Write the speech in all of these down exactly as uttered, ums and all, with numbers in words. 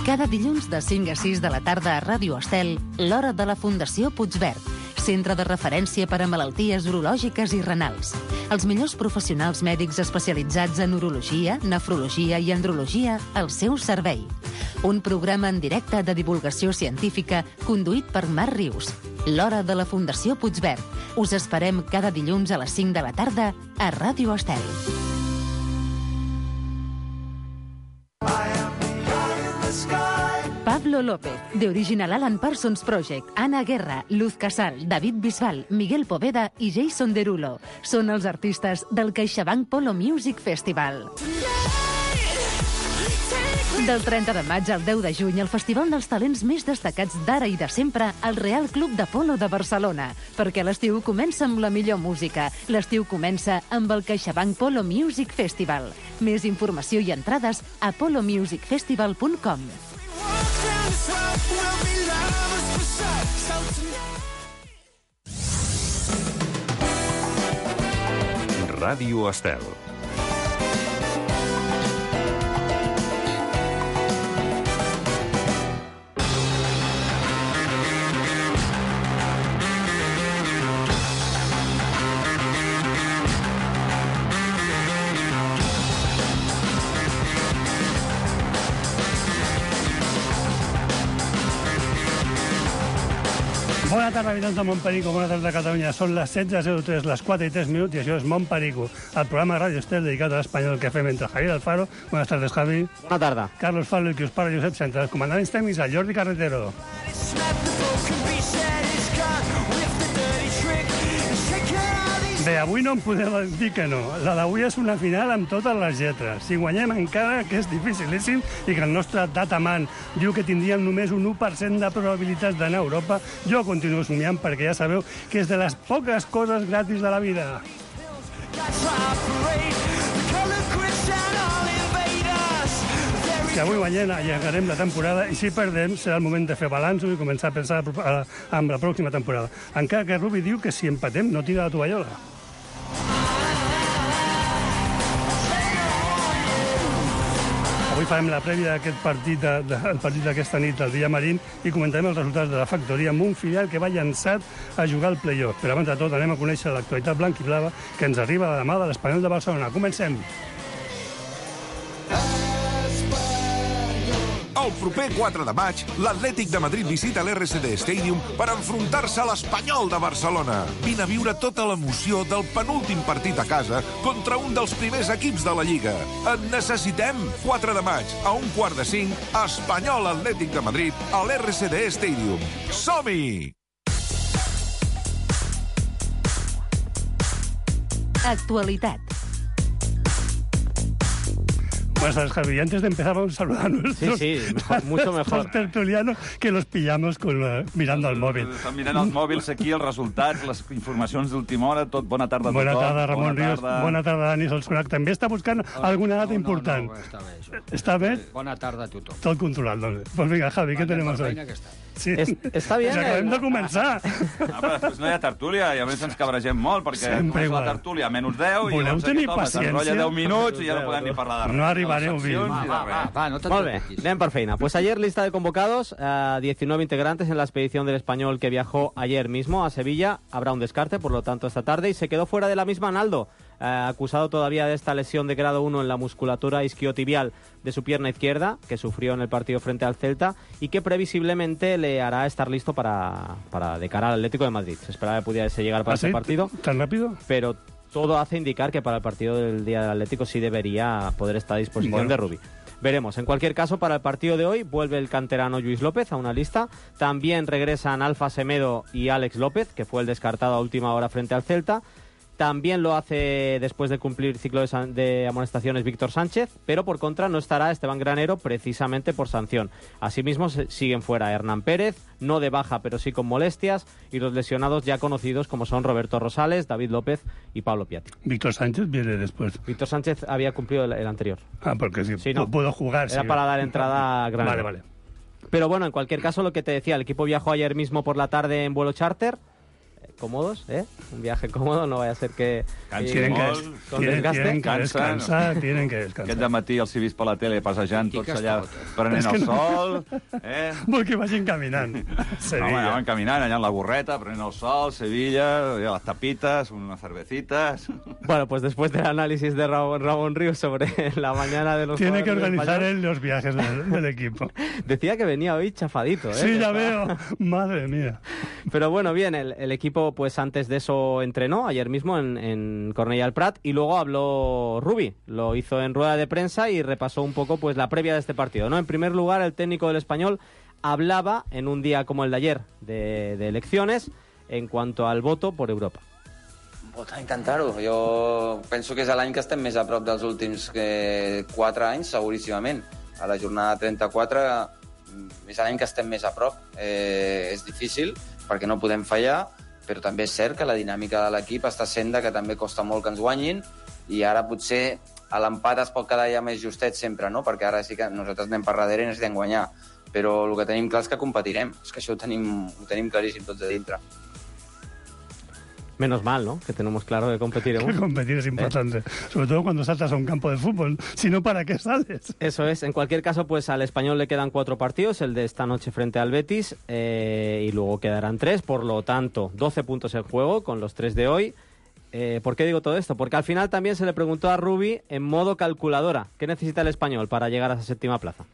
Cada dilluns de cinc a sis de la tarda a Ràdio Estel, l'Hora de la Fundació Puigverd, centre de referència per a malalties urològiques i renals. Els millors professionals mèdics especialitzats en urologia, nefrologia i andrologia al seu servei. Un programa en directe de divulgació científica conduït per Marc Rius. L'Hora de la Fundació Puigverd. Us esperem cada dilluns a les cinc de la tarda a Ràdio Estel. Pablo López, de Original Alan Parsons Project, Ana Guerra, Luz Casal, David Bisbal, Miguel Poveda i Jason Derulo són els artistes del CaixaBank Polo Music Festival. Del trenta de maig al deu de juny, el festival dels talents més destacats d'ara i de sempre al Real Club de Polo de Barcelona. Perquè l'estiu comença amb la millor música. L'estiu comença amb el CaixaBank Polo Music Festival. Més informació i entrades a polo music festival punt com. Ràdio Estel. Bona tarda, habitants de Montperico, bona tarda a Catalunya. Són les setze zero tres, les quatre i tres minuts, i això és Montperico, el programa de Ràdio Estel dedicat a l'espanyol que fem entre Javier Alfaro. Buenas tardes, Javi. Bona tarda. Carlos Fabio, el que us parla, Josep Centre. Els comandants tècnics, el Jordi Carretero. Bé, avui no em podem dir que no. La d'avui és una final amb totes les lletres. Si guanyem encara, que és dificilíssim, i que el nostre dataman diu que tindríem només un u per cent de probabilitats d'anar a Europa, jo continuo somiant perquè ja sabeu que és de les poques coses gratis de la vida. Si avui guanyem, allargarem la temporada, i si perdem, serà el moment de fer balanços i començar a pensar en la pròxima temporada. Encara que Rubi diu que si empatem no tira la tovallola. Avui farem la prèvia d'aquest partit, de, el partit d'aquesta nit, el Villamarín, i comentarem els resultats de la factoria amb un filial que va llançat a jugar al play-off. Però abans de tot anem a conèixer l'actualitat blanc-i-blava que ens arriba de la mà de l'Espanyol de Barcelona. Comencem! El proper quatre de maig, l'Atlètic de Madrid visita l'R C D Stadium per enfrontar-se a l'Espanyol de Barcelona. Vine a viure tota l'emoció del penúltim partit a casa contra un dels primers equips de la Lliga. Et necessitem! quatre de maig, a un quart de cinc, Espanyol Atlètic de Madrid a l'R C D Stadium. Som-hi! Actualitat. Buenas tardes, Javi. Antes de empezar vamos a saludar a nuestros, sí, sí, mejor, mucho mejor. tertulianos que los pillamos con, uh, mirando al mòbil. Estan mirant els mòbils aquí, els resultats, les informacions d'última hora, tot. Bona tarda a tothom. Bona tarda, Ramon bona Ríos. Tarda. Bona tarda, Dani Solsonac. També està buscant oh, alguna data no, important. No, no, està bé, això. Està bé? Bona tarda a tothom. Tot controlat, doncs. Pues vinga, Javi, què tenim hoy? Sí. Es, està bé. Pues acabem de començar. Ah, però després no hi ha tertúlia i a més ens cabregem molt perquè Sempre comença la tertúlia a menys deu i voleu tenir paciència? S'enrotlla deu minuts i ja no podem ni parlar de res. No arribareu bé. Va, va, va, va, no Molt bé, anem per feina. Pues ayer lista de convocados, uh, diecinueve integrantes en la expedición del Español que viajó ayer mismo a Sevilla. Habrá un descarte, por lo tanto, esta tarde, y se quedó fuera de la misma Naldo, uh, acusado todavía de esta lesión de grado uno en la musculatura isquiotibial de su pierna izquierda, que sufrió en el partido frente al Celta, y que previsiblemente le hará estar listo para, para de cara al Atlético de Madrid. Se esperaba que pudiese llegar para ¿Ah, ese sí? partido. ¿Tan rápido? Pero todo hace indicar que para el partido del día del Atlético sí debería poder estar a disposición bueno. de Rubí. Veremos. En cualquier caso, para el partido de hoy vuelve el canterano Lluís López a una lista. También regresan Alfa Semedo y Àlex López, que fue el descartado a última hora frente al Celta. También lo hace, después de cumplir ciclo de, san- de amonestaciones, Víctor Sánchez, pero por contra no estará Esteban Granero precisamente por sanción. Asimismo se- siguen fuera Hernán Pérez, no de baja pero sí con molestias, y los lesionados ya conocidos como son Roberto Rosales, David López y Pablo Piatti. Víctor Sánchez viene después. Víctor Sánchez había cumplido el, el anterior. Ah, porque sí, Sí, no. pudo jugar. Era sí. para dar entrada a Granero. Vale, vale. Pero bueno, en cualquier caso, lo que te decía, el equipo viajó ayer mismo por la tarde en vuelo charter, cómodos, ¿eh? Un viaje cómodo, no vaya a ser que... Cansin molt, con tienen, desgaste. tienen que Cansen. descansar, tienen que descansar. Aquest dematí els he vist per la tele passejant Aquí tots que allà, està tot. prenent És que el no. sol. Eh? Vol que vagin caminant. No, Sevilla. anaven caminant allà en la burreta, prenent el sol, Sevilla, allà las tapitas, unas cervecitas... Bueno, pues después del análisis de Ramón, Ramón Ríos sobre la mañana de los Tiene que jugadores organizar españoles, él los viajes del, del equipo. decía que venía hoy chafadito, ¿eh? Sí, ya Que veo. estaba- Madre mía. Pero bueno, bien, el, el equipo pues antes de eso entrenó ayer mismo en, en Cornellà del Prat y luego habló Rubi, lo hizo en rueda de prensa y repasó un poco pues la previa de este partido, ¿no? En primer lugar, el técnico del Español hablaba en un día como el de ayer de, de elecciones en cuanto al voto por Europa. Votar, intentar-ho. Jo penso que és l'any que estem més a prop dels últims eh, quatre anys, seguríssimament. A la jornada trenta-quatre és l'any que estem més a prop. Eh, és difícil, perquè no podem fallar, però també és cert que la dinàmica de l'equip està sent que també costa molt que ens guanyin, i ara potser a l'empat es pot quedar ja més justet sempre, no? Perquè ara sí que nosaltres anem per darrere i necessitem guanyar. Però el que tenim clar és que competirem. És que això ho tenim, ho tenim claríssim tots de dintre. Menos mal, ¿no? Que tenemos claro que competiremos. Competir es importante. Sobre todo cuando saltas a un campo de fútbol. Si no, ¿para qué sales? Eso es. En cualquier caso, pues al Español le quedan cuatro partidos, el de esta noche frente al Betis, eh, y luego quedarán tres, por lo tanto, doce puntos en juego con los tres de hoy. Eh, ¿Por qué digo todo esto? Porque al final también se le preguntó a Rubi en modo calculadora, ¿qué necesita el Español para llegar a esa séptima plaza?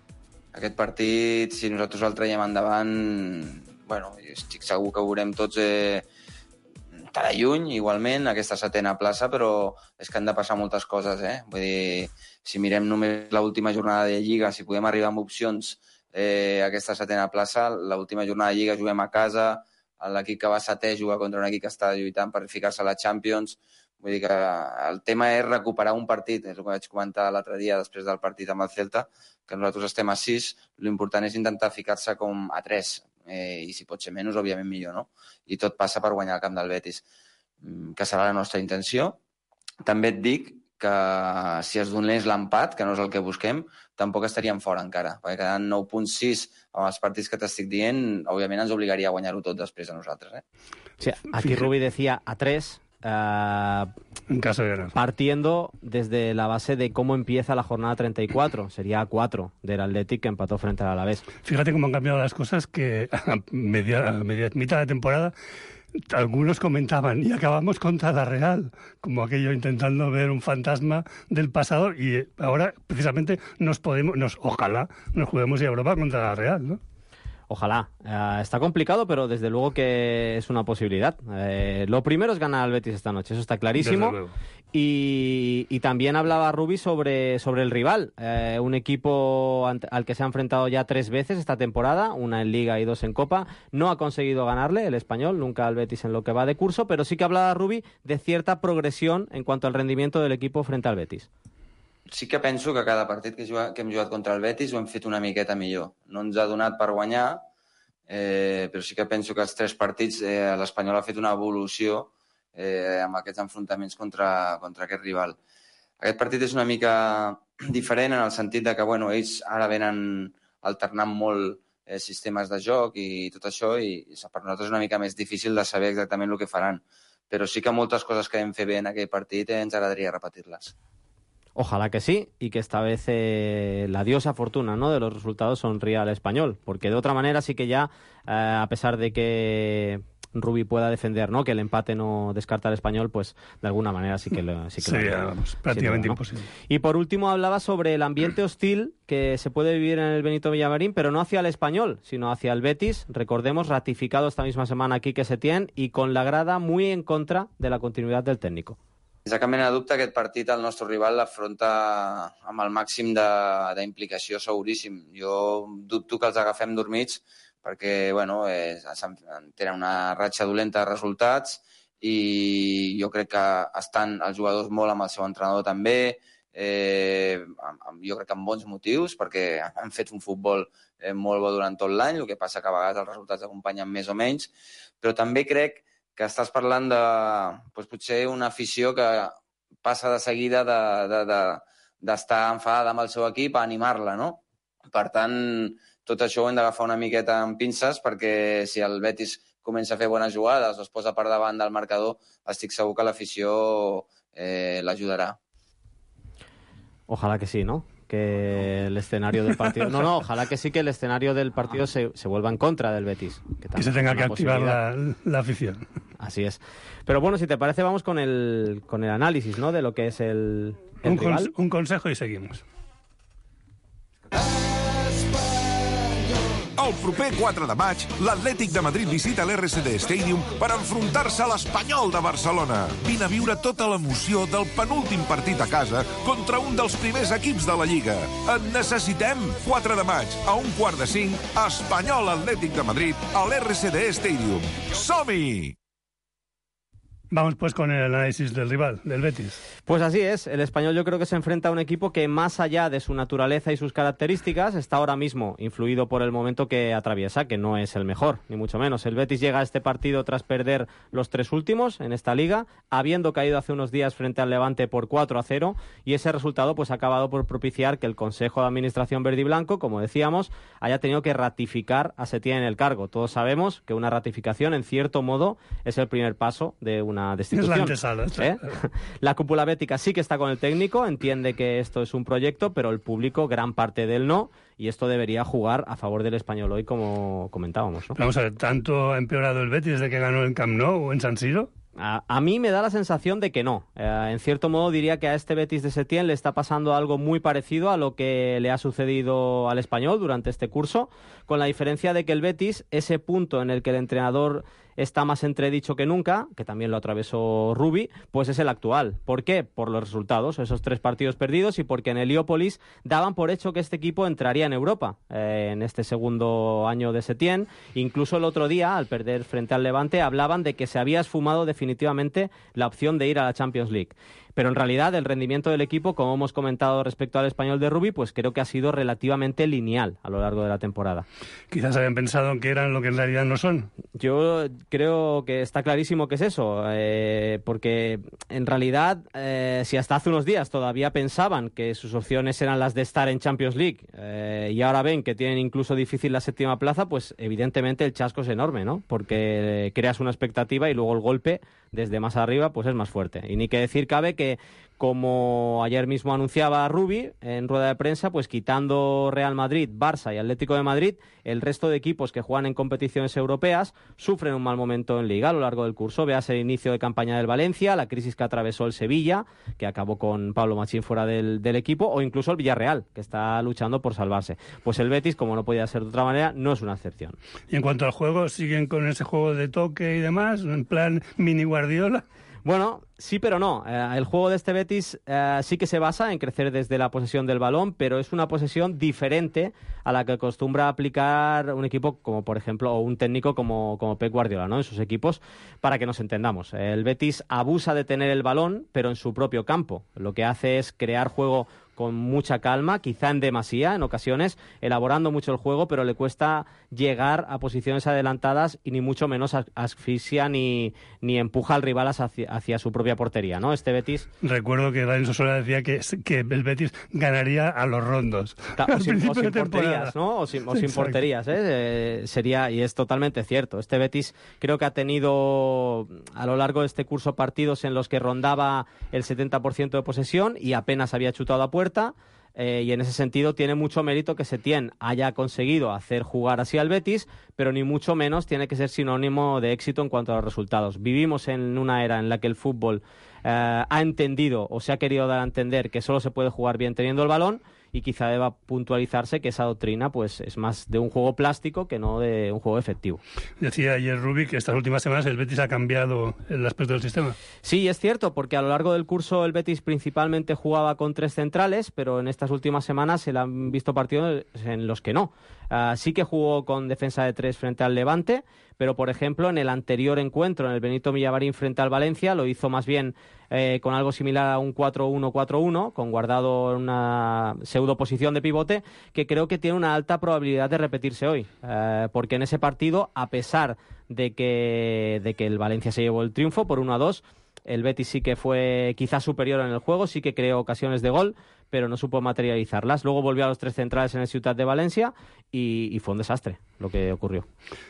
Aquest partit, si nosaltres el traiem endavant, bueno, estic segur que ho veurem tots eh, estarà lluny, igualment, aquesta setena plaça, però és que han de passar moltes coses, eh? Vull dir, si mirem només l'última jornada de Lliga, si podem arribar amb opcions eh, a aquesta setena plaça, l'última jornada de Lliga juguem a casa, l'equip que va setè juga contra un equip que està lluitant per ficar-se a la Champions. Vull dir que el tema és recuperar un partit, és el que vaig comentar l'altre dia després del partit amb el Celta, que nosaltres estem a sis, l'important és intentar ficar-se com a tres, eh, i si pot ser menys, òbviament millor, no? I tot passa per guanyar el camp del Betis, que serà la nostra intenció. També et dic que si es donés l'empat, que no és el que busquem, tampoc estaríem fora encara, perquè quedant nou punt sis amb els partits que t'estic dient, òbviament ens obligaria a guanyar-ho tot després a nosaltres. Eh? Sí, aquí Rubi decía a tres, uh, En caso de ganar. partiendo desde la base de cómo empieza la jornada treinta y cuatro. Sería a cuatro del Athletic, que empató frente al Alavés. Fíjate cómo han cambiado las cosas, que a media, a media mitad de temporada algunos comentaban, y acabamos contra la Real, como aquello intentando ver un fantasma del pasado, y ahora precisamente nos podemos, nos ojalá nos juguemos a Europa contra la Real, ¿no? Ojalá. Uh, está complicado, pero desde luego que es una posibilidad. Eh, lo primero es ganar al Betis esta noche, eso está clarísimo. Desde luego. Y, y también hablaba Rubi sobre, sobre el rival. Eh, un equipo ante, al que se ha enfrentado ya tres veces esta temporada, una en Liga y dos en Copa. No ha conseguido ganarle el Español, nunca al Betis en lo que va de curso, pero sí que hablaba Rubi de cierta progresión en cuanto al rendimiento del equipo frente al Betis. Sí que penso que cada partit que, juga, que hem jugat contra el Betis ho hem fet una miqueta millor. No ens ha donat per guanyar, eh, però sí que penso que els tres partits eh, l'Espanyol ha fet una evolució eh, amb aquests enfrontaments contra, contra aquest rival. Aquest partit és una mica diferent en el sentit de que bueno, ells ara venen alternant molt eh, sistemes de joc i tot això, i, i per nosaltres és una mica més difícil de saber exactament el que faran. Però sí que moltes coses que vam fer bé en aquell partit eh, ens agradaria repetir-les. Ojalá que sí, y que esta vez eh, la diosa fortuna, ¿no?, de los resultados sonría al Español, porque de otra manera sí que ya, eh, a pesar de que Rubi pueda defender, ¿no?, que el empate no descarta al Español, pues de alguna manera sí que lo sí que Sería, lo, vamos, prácticamente ¿no? imposible. Y por último hablaba sobre el ambiente hostil que se puede vivir en el Benito Villamarín, pero no hacia el Español, sino hacia el Betis. Recordemos, ratificado esta misma semana aquí que Setién, y con la grada muy en contra de la continuidad del técnico. Sense cap mena de dubte, aquest partit el nostre rival l'afronta amb el màxim d'implicació seguríssim. Jo dubto que els agafem dormits perquè bueno, eh, tenen una ratxa dolenta de resultats i jo crec que estan els jugadors molt amb el seu entrenador també, eh, jo crec que amb bons motius, perquè han fet un futbol eh, molt bo durant tot l'any, el que passa que a vegades els resultats acompanyen més o menys, però també crec que estàs parlant de doncs, potser una afició que passa de seguida d'estar de, de, de, enfadada amb el seu equip a animar-la, no? Per tant, tot això ho hem d'agafar una miqueta amb pinces, perquè si el Betis comença a fer bones jugades o es posa per davant del marcador, estic segur que l'afició eh, l'ajudarà. Ojalá que sí, ¿no? Que el escenario del partido... No, no, ojalá que sí que el escenario del partido se, se vuelva en contra del Betis. Que, que se tenga que activar la, la afición. Así es. Pero bueno, si te parece, vamos con el, con el análisis, ¿no?, de lo que es el, el un, rival. Con, un consejo y seguimos. El proper quatre de maig, l'Atlètic de Madrid visita l'R C D Stadium per enfrontar-se a l'Espanyol de Barcelona. Vine a viure tota l'emoció del penúltim partit a casa contra un dels primers equips de la Lliga. Et necessitem! quatre de maig, a un quart de cinc, Espanyol Atlètic de Madrid a l'R C D Stadium. Som-hi! Vamos pues con el análisis del rival, del Betis. Pues así es, el Español yo creo que se enfrenta a un equipo que más allá de su naturaleza y sus características está ahora mismo influido por el momento que atraviesa, que no es el mejor, ni mucho menos. El Betis llega a este partido tras perder los tres últimos en esta liga, habiendo caído hace unos días frente al Levante por cuatro a cero, y ese resultado pues ha acabado por propiciar que el Consejo de Administración verde y blanco, como decíamos, haya tenido que ratificar a Setién en el cargo. Todos sabemos que una ratificación, en cierto modo, es el primer paso de una destitución. Es la antesala. ¿Eh? La cúpula bética sí que está con el técnico, entiende que esto es un proyecto, pero el público, gran parte de él no, y esto debería jugar a favor del Español hoy, como comentábamos, ¿no? Vamos a ver, ¿tanto ha empeorado el Betis desde que ganó en Camp Nou o en San Siro? A, a mí me da la sensación de que no. Eh, en cierto modo diría que a este Betis de Setién le está pasando algo muy parecido a lo que le ha sucedido al Español durante este curso, con la diferencia de que el Betis, ese punto en el que el entrenador está más entredicho que nunca, que también lo atravesó Rubi, pues es el actual. ¿Por qué? Por los resultados, esos tres partidos perdidos, y porque en Heliópolis daban por hecho que este equipo entraría en Europa eh, en este segundo año de Setién. Incluso el otro día, al perder frente al Levante, hablaban de que se había esfumado definitivamente la opción de ir a la Champions League. Pero en realidad el rendimiento del equipo, como hemos comentado respecto al Español de Rubi, pues creo que ha sido relativamente lineal a lo largo de la temporada. Quizás habían pensado que eran lo que en realidad no son. Yo creo que está clarísimo que es eso, eh, porque en realidad, eh, si hasta hace unos días todavía pensaban que sus opciones eran las de estar en Champions League eh, y ahora ven que tienen incluso difícil la séptima plaza, pues evidentemente el chasco es enorme, ¿no? Porque creas una expectativa y luego el golpe desde más arriba pues es más fuerte. Y ni que decir cabe que, como ayer mismo anunciaba Rubi en rueda de prensa, pues quitando Real Madrid, Barça y Atlético de Madrid, el resto de equipos que juegan en competiciones europeas sufren un mal momento en Liga a lo largo del curso. Veas el inicio de campaña del Valencia, la crisis que atravesó el Sevilla, que acabó con Pablo Machín fuera del, del equipo, o incluso el Villarreal, que está luchando por salvarse. Pues el Betis, como no podía ser de otra manera, no es una excepción. Y en cuanto al juego, ¿siguen con ese juego de toque y demás, en plan mini Guardiola? Bueno, sí, pero no. Eh, el juego de este Betis eh, sí que se basa en crecer desde la posesión del balón, pero es una posesión diferente a la que acostumbra aplicar un equipo como, por ejemplo, o un técnico como, como Pep Guardiola, ¿no? En sus equipos, para que nos entendamos. El Betis abusa de tener el balón, pero en su propio campo. Lo que hace es crear juego con mucha calma, quizá en demasía en ocasiones, elaborando mucho el juego, pero le cuesta llegar a posiciones adelantadas y ni mucho menos asfixia ni, ni empuja al rival hacia, hacia su propia portería, ¿no? Este Betis... Recuerdo que Dani Sosola decía que, que el Betis ganaría a los rondos. Ta, o, sin, o sin porterías, ¿no? O sin, o sin porterías, ¿eh? Eh, sería, y es totalmente cierto. Este Betis creo que ha tenido a lo largo de este curso partidos en los que rondaba el setenta por ciento de posesión y apenas había chutado a puerta. Eh, y en ese sentido tiene mucho mérito que Setién haya conseguido hacer jugar así al Betis, pero ni mucho menos tiene que ser sinónimo de éxito en cuanto a los resultados. Vivimos en una era en la que el fútbol eh, ha entendido o se ha querido dar a entender que solo se puede jugar bien teniendo el balón, y quizá deba puntualizarse que esa doctrina pues es más de un juego plástico que no de un juego efectivo. Decía ayer Rubi que estas últimas semanas el Betis ha cambiado el aspecto del sistema. Sí, es cierto, porque a lo largo del curso el Betis principalmente jugaba con tres centrales, pero en estas últimas semanas se le han visto partidos en los que no. Uh, sí que jugó con defensa de tres frente al Levante, pero por ejemplo en el anterior encuentro, en el Benito Villamarín frente al Valencia, lo hizo más bien eh, con algo similar a un cuatro uno cuatro uno, con Guardado en una pseudoposición de pivote, que creo que tiene una alta probabilidad de repetirse hoy, uh, porque en ese partido, a pesar de que, de que el Valencia se llevó el triunfo por uno a dos, el Betis sí que fue quizás superior en el juego, sí que creó ocasiones de gol, pero no supo materializarlas. Luego volvió a los tres centrales en el Ciutat de Valencia y, y fue un desastre. lo que ocurrió.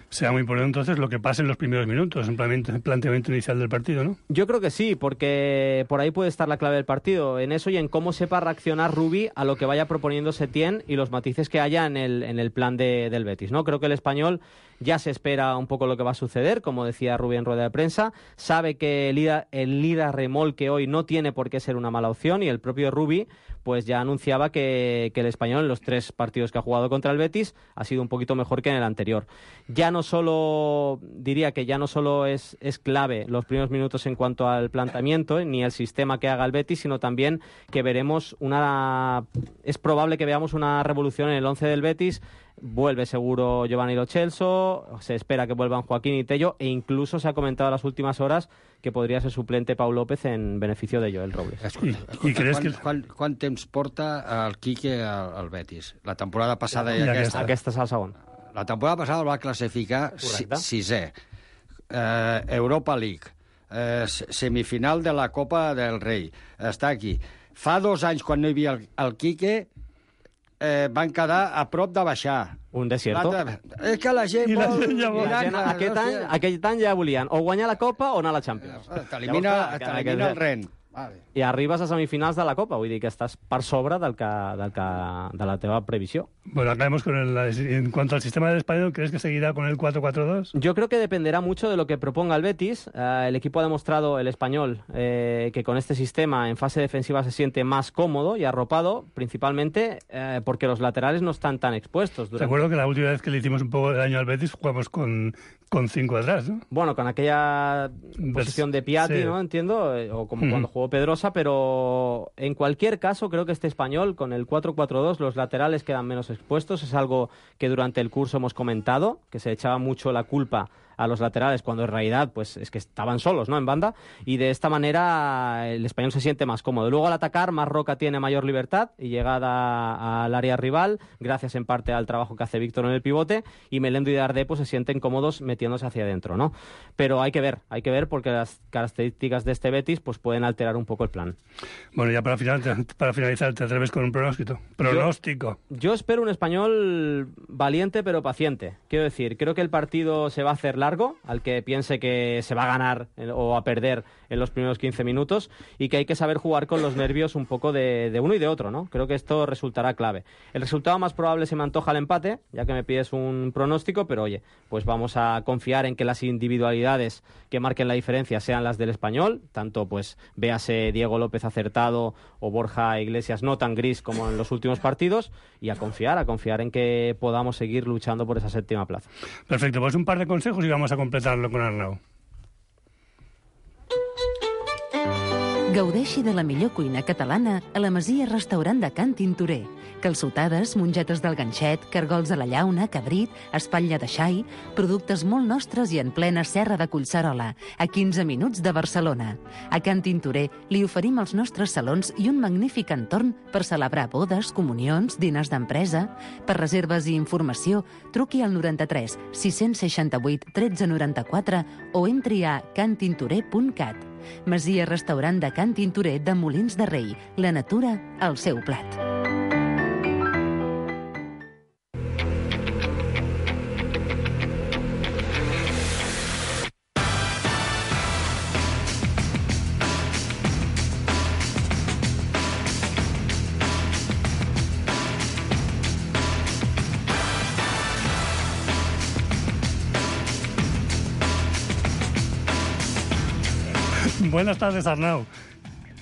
Será muy importante entonces lo que pase en los primeros minutos, en el planteamiento inicial del partido, ¿no? Yo creo que sí, porque por ahí puede estar la clave del partido, en eso y en cómo sepa reaccionar Rubí a lo que vaya proponiendo Setién y los matices que haya en el, en el plan de, del Betis, ¿no? Creo que el español ya se espera un poco lo que va a suceder, como decía Rubí en rueda de prensa, sabe que el ida, el ida remolque hoy no tiene por qué ser una mala opción, y el propio Rubí pues ya anunciaba que, que el español en los tres partidos que ha jugado contra el Betis ha sido un poquito mejor que en el anterior. Ya no solo, diría que ya no solo es, es clave los primeros minutos en cuanto al planteamiento, ni el sistema que haga el Betis, sino también que veremos una... es probable que veamos una revolución en el once del Betis. Vuelve seguro Giovanni Lo Celso, se espera que vuelvan Joaquín y Tello, e incluso se ha comentado en las últimas horas que podría ser suplente Pau López en beneficio de Joel Robles. Escolta, escolta, I creus quan, que... quan, quan temps porta el Quique al, al Betis? La temporada passada i, I aquesta. Aquesta és el segon. La temporada passada el va classificar si, Correcte. sisè. Eh, Europa League. Eh, semifinal de la Copa del Rei. Està aquí. Fa dos anys, quan no hi havia el, el Quique, eh, van quedar a prop de baixar. Un desierto. És que la gent I la vol... gent ja vol. La gent, aquest, any, aquest any ja volien o guanyar la Copa o anar a la Champions. T'elimina Llavors, clar, t'elimina el aquest- Ren. Vale. I arribes a semifinals de la Copa, vull dir que estàs per sobre del que, del que, de la teva previsió. Bueno, acabemos con el... En cuanto al sistema del español, ¿crees que seguirá con el cuatro cuatro dos? Yo creo que dependerá mucho de lo que proponga el Betis. Uh, el equipo ha demostrado, el español, eh, que con este sistema en fase defensiva se siente más cómodo y arropado, principalmente eh, porque los laterales no están tan expuestos. Durante... Recuerdo que la última vez que le hicimos un poco de daño al Betis jugamos con, con cinco atrás, ¿no? Bueno, con aquella posición de Piatti, Sí. ¿no? Entiendo, eh, o como Mm. cuando jugó Pedrosa, pero en cualquier caso creo que este español, con el cuatro cuatro dos, los laterales quedan menos expuestos. Es algo que durante el curso hemos comentado, que se echaba mucho la culpa a los laterales cuando en realidad pues es que estaban solos, ¿no?, en banda, y de esta manera el español se siente más cómodo. Luego al atacar, Marroca tiene mayor libertad y llegada al área rival, gracias en parte al trabajo que hace Víctor en el pivote, y Melendo y Dardé pues se sienten cómodos metiéndose hacia adentro, ¿no? Pero hay que ver, hay que ver porque las características de este Betis pues pueden alterar un poco el plan. Bueno, ya para, final, para finalizar, ¿te atreves con un pronóstico? Pronóstico. Yo, yo espero un español valiente pero paciente. Quiero decir, creo que el partido se va a hacer largo, al que piense que se va a ganar o a perder en los primeros quince minutos, y que hay que saber jugar con los nervios un poco de, de uno y de otro, ¿no? Creo que esto resultará clave. El resultado más probable se me antoja el empate, ya que me pides un pronóstico, pero oye, pues vamos a confiar en que las individualidades que marquen la diferencia sean las del español, tanto pues véase Diego López acertado o Borja Iglesias no tan gris como en los últimos partidos, y a confiar, a confiar en que podamos seguir luchando por esa séptima plaza. Perfecto, pues un par de consejos y vamos a completarlo con Arnau. Gaudeixi de la millor cuina catalana a la Masia Restaurant de Can Tintorer. Calçotades, mongetes del ganxet, cargols a la llauna, cabrit, espatlla de xai, productes molt nostres i en plena serra de Collserola, a quinze minuts de Barcelona. A Can Tintorer li oferim els nostres salons i un magnífic entorn per celebrar bodes, comunions, diners d'empresa. Per reserves i informació, truqui al noranta-tres sis seixanta-vuit tretze noranta-quatre o entri a cantintorer punt cat. Masia Restaurant de Can Tintorer de Molins de Rei. La natura al seu plat. Buenas tardes, Arnau.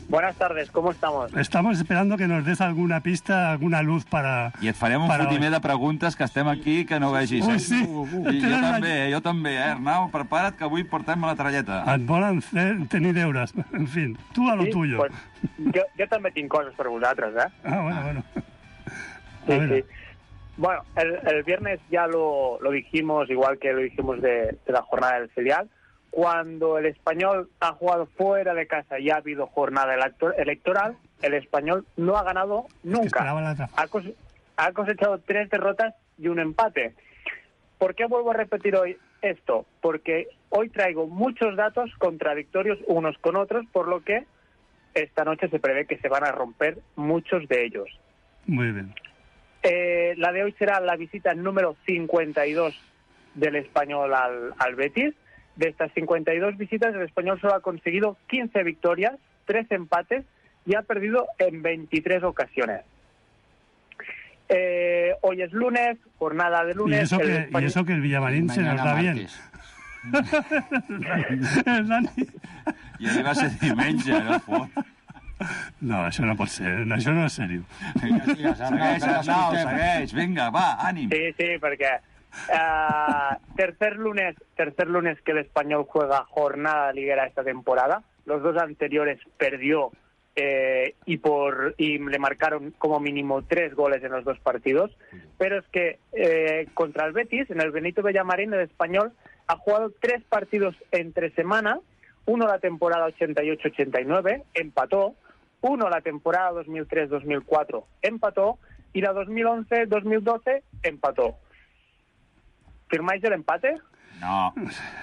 Buenas tardes, ¿cómo estamos? Estamos esperando que nos des alguna pista, alguna luz para... I et farem un para fotimer hoy. de preguntes que estem aquí que no vegis. Ui, eh? sí. I jo també, eh? jo també, eh, Arnau? Prepara't que avui portem la tralleta. Et volen fer, tenir deures. En fin, tu a lo Sí, tuyo. pues, jo, jo també tinc coses per vosaltres, ¿eh? Ah, bueno, bueno. Sí, A ver. sí. Bueno, el, el viernes ya lo, lo dijimos, igual que lo dijimos de, de la jornada del filial. Cuando el Español ha jugado fuera de casa y ha habido jornada elector- electoral, el Español no ha ganado nunca. esperaba la otra. Ha, cos- ha cosechado tres derrotas y un empate. ¿Por qué vuelvo a repetir hoy esto? Porque hoy traigo muchos datos contradictorios unos con otros, por lo que esta noche se prevé que se van a romper muchos de ellos. Muy bien. Eh, la de hoy será la visita número cincuenta y dos del Español al, al Betis. De estas cincuenta y dos visitas, el Español solo ha conseguido quince victorias, tres empates y ha perdido en veintitrés ocasiones. Eh, hoy es lunes, jornada de lunes. Y eso, que, Español... y eso que el Villamarín se nos da bien. El Dani... I ahir va ser diumenge, no fot. No, això no pot ser, això no és seriós. Segueix, Arnau, segueix, vinga, va, ànim. Sí, sí, porque uh, tercer lunes, tercer lunes que el Español juega jornada liguera esta temporada. Los dos anteriores perdió eh, y por y le marcaron como mínimo tres goles en los dos partidos. Pero es que eh, contra el Betis, en el Benito Villamarín, el Español ha jugado tres partidos entre semana. Uno la temporada ochenta y ocho ochenta y nueve, empató. Uno la temporada dos mil tres dos mil cuatro, empató. Y la dos mil once dos mil doce, empató. ¿Firmáis el empate? No.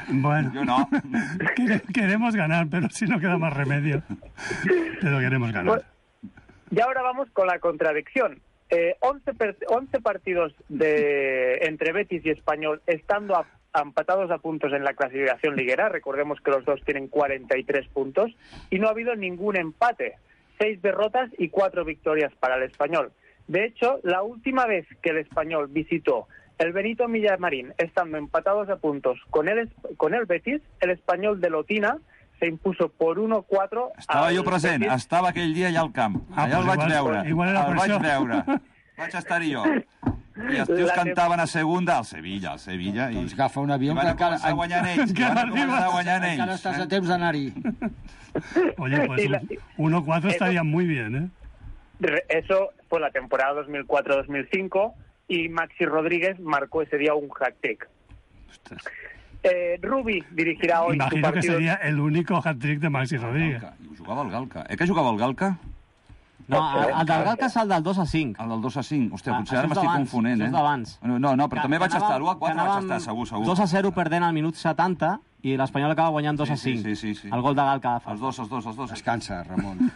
Bueno, yo no. Queremos ganar, pero si no queda más remedio. Pero queremos ganar. Pues, y ahora vamos con la contradicción. Eh, once, once partidos de entre Betis y Español estando a empatados a puntos en la clasificación liguera. Recordemos que los dos tienen cuarenta y tres puntos y no ha habido ningún empate. Seis derrotas y cuatro victorias para el Español. De hecho, la última vez que el Español visitó el Benito Villamarín, estando empatados a puntos con el, con el Betis, el Español de Lotina se impuso por uno cuatro. Estava jo present, Betis. Estava aquell dia allà al camp. Ah, allà pues el vaig igual, veure. Igual era el per vaig això. veure. Vaig estar-hi jo. I els tios La cantaven a segunda, al Sevilla, al Sevilla. I, Doncs agafa un avió i van que encara- començar guanyant ells. I van començar guanyant ells. Encara estàs a temps d'anar-hi. Oye, pues Y la- un uno cuatro estaría muy bien, ¿eh? Re- Eso fue la temporada dos mil cuatro dos mil cinco y Maxi Rodríguez marcó ese día un hat-trick. Eh, Rubi dirigirá hoy su Imagino que partido. sería el único hat-trick de Maxi Rodríguez. Galca. I jugava al Galca. Eh que jugava al Galca? No, el, el del Galca és el del dos a cinc. El del dos a cinc. Hòstia, Ah, potser això ara és m'estic d'abans, confonent, això eh? és d'abans. No, no, però també vaig estar. l'u a quatre vaig anàvem estar, segur, segur. dos a zero perdent al minut setanta i l'Espanyol acaba guanyant dos a Sí, sí, cinc. sí, sí, sí. El gol de Galca. Els dos, els dos, els dos. Descansa, Ramon.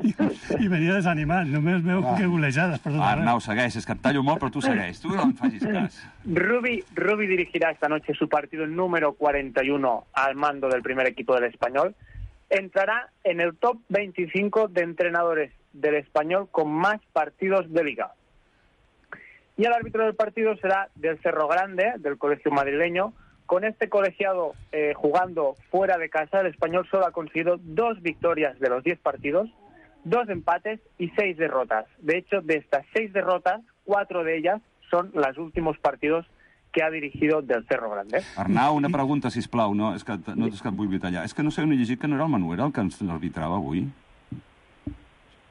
I, I venia desanimat, només veu Va. que golejades per tot Ah, arreu. Arnau, segueix. És que et tallo molt, però tu segueix. Tu no em facis cas. Rubi, Rubi dirigirá esta noche su partido número cuarenta y uno al mando del primer equipo del Español. Entrará en el top veinticinco de entrenadores del Español con más partidos de liga. Y el árbitro del partido será del Cerro Grande, del colegio madrileño. Con este colegiado eh, jugando fuera de casa, el Español solo ha conseguido dos victorias de los diez partidos, dos empates y seis derrotas. De hecho, de estas seis derrotas, cuatro de ellas son los últimos partidos que ha dirigido del Cerro Grande. Arnau, una pregunta, sisplau. No, és que, no és que et vull tallar. És que no sé on he llegit que no era el Manuel el que ens arbitrava avui.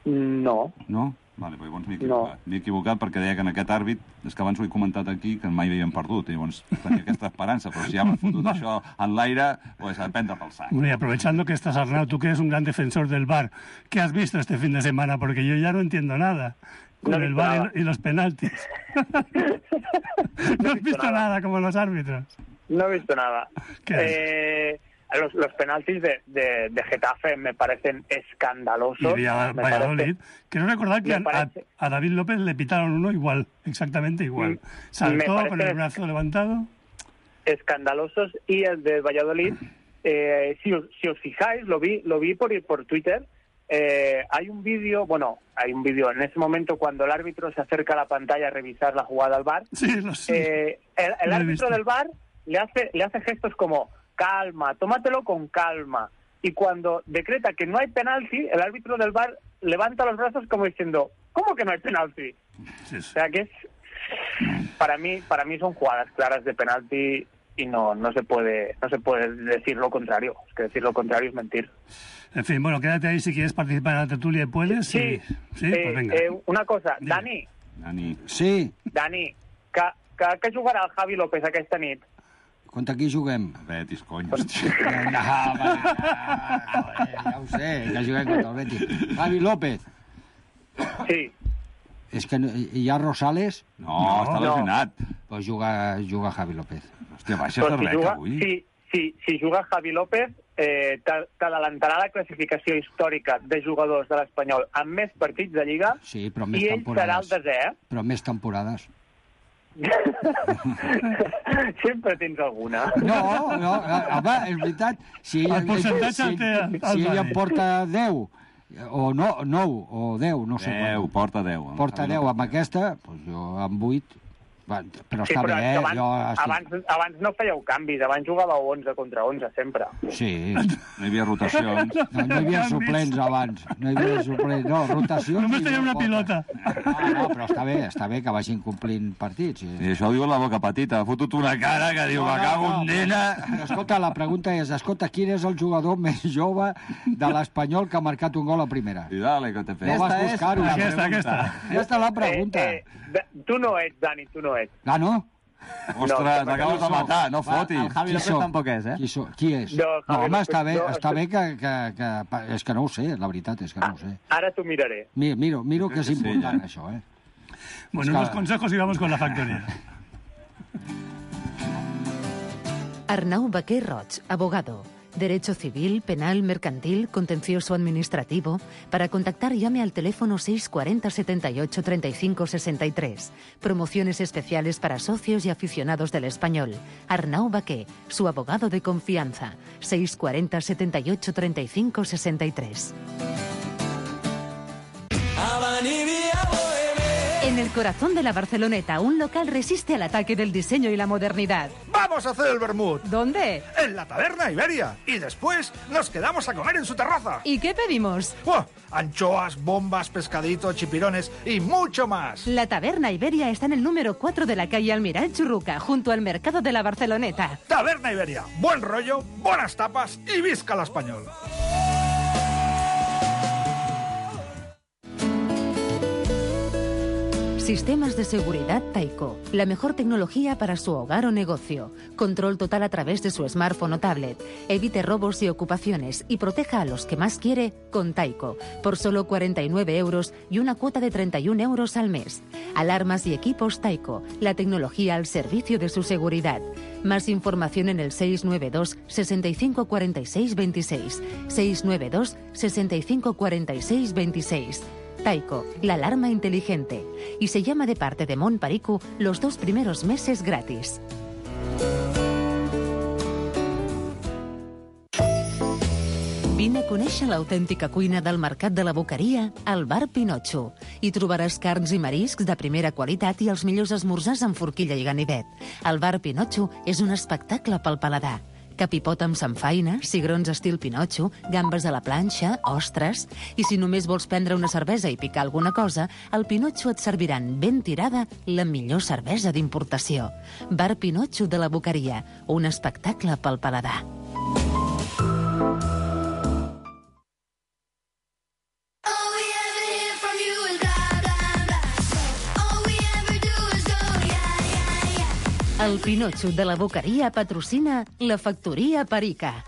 No. No? Vale, però llavors m'he equivocat. No. M'he equivocat perquè deia que en aquest àrbit, és que abans ho he comentat aquí, que mai havien perdut, i llavors tenia aquesta esperança, però si ja m'ha fotut això en l'aire, pues a prendre pel sac. Bueno, y aprovechando que estás, Arnau, tú que eres un gran defensor del V A R, ¿qué has visto este fin de semana? Porque yo ya no entiendo nada con No he el visto V A R nada. y los penaltis. No has visto nada. nada como los árbitros. No he visto nada. ¿Qué Eh, los, los penaltis de, de, de Getafe me parecen Y escandalosos. Villa- Me Valladolid. parece- Quiero recordar que me a, parece- a David López le pitaron uno igual, exactamente igual. Mm, me Saltó parece- con el brazo levantado. escandalosos y el de Valladolid, eh, si, os, si os fijáis, lo vi lo vi por por Twitter. Eh, hay un vídeo, bueno, hay un vídeo en ese momento cuando el árbitro se acerca a la pantalla a revisar la jugada al V A R. Sí, lo sé. Eh, el el Lo he árbitro visto. del V A R le hace le hace gestos como calma, tómatelo con calma. Y cuando decreta que no hay penalti, el árbitro del V A R levanta los brazos como diciendo, ¿cómo que no hay penalti? Sí, O sí. sea que es, para mí para mí son jugadas claras de penalti y no no se puede no se puede decir lo contrario. Es que decir lo contrario es mentir. En fin, bueno, quédate ahí si quieres participar en la tertulia y puedes. Sí, sí, eh, pues venga. eh, una cosa, Dime. Dani, Dani, Sí, Dani, que, que, que jugarà el Javi López aquesta nit? contra qui juguem? Betis, cony, hòstia. No, va, joder, ja ho sé, que juguem contra el Betis. Javi López. Sí, És que no, hi ha Rosales? No, està no. lesionat. Pues juga, juga Javi López. Hòstia, baixa però de si, rec juga, avui. si, si, si juga Javi López, eh, t'adelantarà la classificació històrica de jugadors de l'Espanyol amb més partits de Lliga, sí, però més i ell temporades. serà el desè. Eh? Però més temporades. Sempre tens alguna. No, no, home, és veritat. Si el percentatge el té el Si ell en porta deu, o no, nou, o deu, no sé deu, quan. porta deu. Porta deu amb aquesta, doncs jo amb vuit. Però Sí, està però bé, eh? abans, Jo estic... abans, abans no fèieu canvis, abans jugàveu onze contra onze, sempre. Sí. No hi havia rotacions. No, no hi havia suplents abans. No hi havia suplents, no, rotacions... Només tenia una pilota. Ah, no, però està bé, està bé que vagin complint partits. Sí. I això ho diu la boca petita. Ha fotut una cara que diu, me cago en nena. Però escolta, la pregunta és, escolta, quin és el jugador més jove de l'Espanyol que ha marcat un gol a primera? I dale, que te No vas buscar-ho. Aquesta, aquesta. Aquesta és la pregunta. Eh, eh, tu no ets, Dani, tu no ets. Ah, no? Ostres, m'acabes de matar, no fotis. El Javi López tampoc és, eh? Qui, so, qui és? No, No, Javi home, López, està bé, no, està bé que, que, que... És que no ho sé, la veritat és que no ho sé. Ara t'ho miraré. Mira, miro, miro que és Sí, important, ja. això, eh? Bueno, Es que- unos consejos y vamos con la factoría. Arnau Baquer Roig, abogado. Derecho civil, penal, mercantil, contencioso administrativo. Para contactar llame al teléfono seis cuarenta setenta y ocho treinta y cinco sesenta y tres. Promociones especiales para socios y aficionados del Español. Arnau Baquer, su abogado de confianza. seis cuarenta setenta y ocho treinta y cinco sesenta y tres. En el corazón de la Barceloneta, un local resiste al ataque del diseño y la modernidad. ¡Vamos a hacer el vermut! ¿Dónde? En la taberna Iberia. Y después nos quedamos a comer en su terraza. ¿Y qué pedimos? ¡Oh! Anchoas, bombas, pescadito, chipirones y mucho más. La Taberna Iberia está en el número cuatro de la calle Almiral Churruca, junto al mercado de la Barceloneta. Taberna Iberia. Buen rollo, buenas tapas y visca el español. Sistemas de seguridad Taiko. La mejor tecnología para su hogar o negocio. Control total a través de su smartphone o tablet. Evite robos y ocupaciones y proteja a los que más quiere con Taiko. Por solo cuarenta y nueve euros y una cuota de treinta y un euros al mes. Alarmas y equipos Taiko. La tecnología al servicio de su seguridad. Más información en el seis nueve dos, sesenta y cinco cuarenta y seis veintiséis. seis nueve dos, sesenta y cinco cuarenta y seis veintiséis. Taiko, la alarma inteligente. Y se llama de parte de Montparicu los dos primeros meses gratis. Vine a conèixer l'autèntica cuina del Mercat de la Boqueria al Bar Pinotxo. Hi trobaràs carns i mariscs de primera qualitat i els millors esmorzars amb forquilla i ganivet. El Bar Pinotxo és un espectacle pel paladar. Capipot amb samfaina, cigrons estil Pinotxo, gambes a la planxa, ostres... I si només vols prendre una cervesa i picar alguna cosa, al Pinotxo et serviran ben tirada la millor cervesa d'importació. Bar Pinotxo de la Boqueria, un espectacle pel paladar. El Pinotxo de la Boqueria patrocina la Factoría Perica.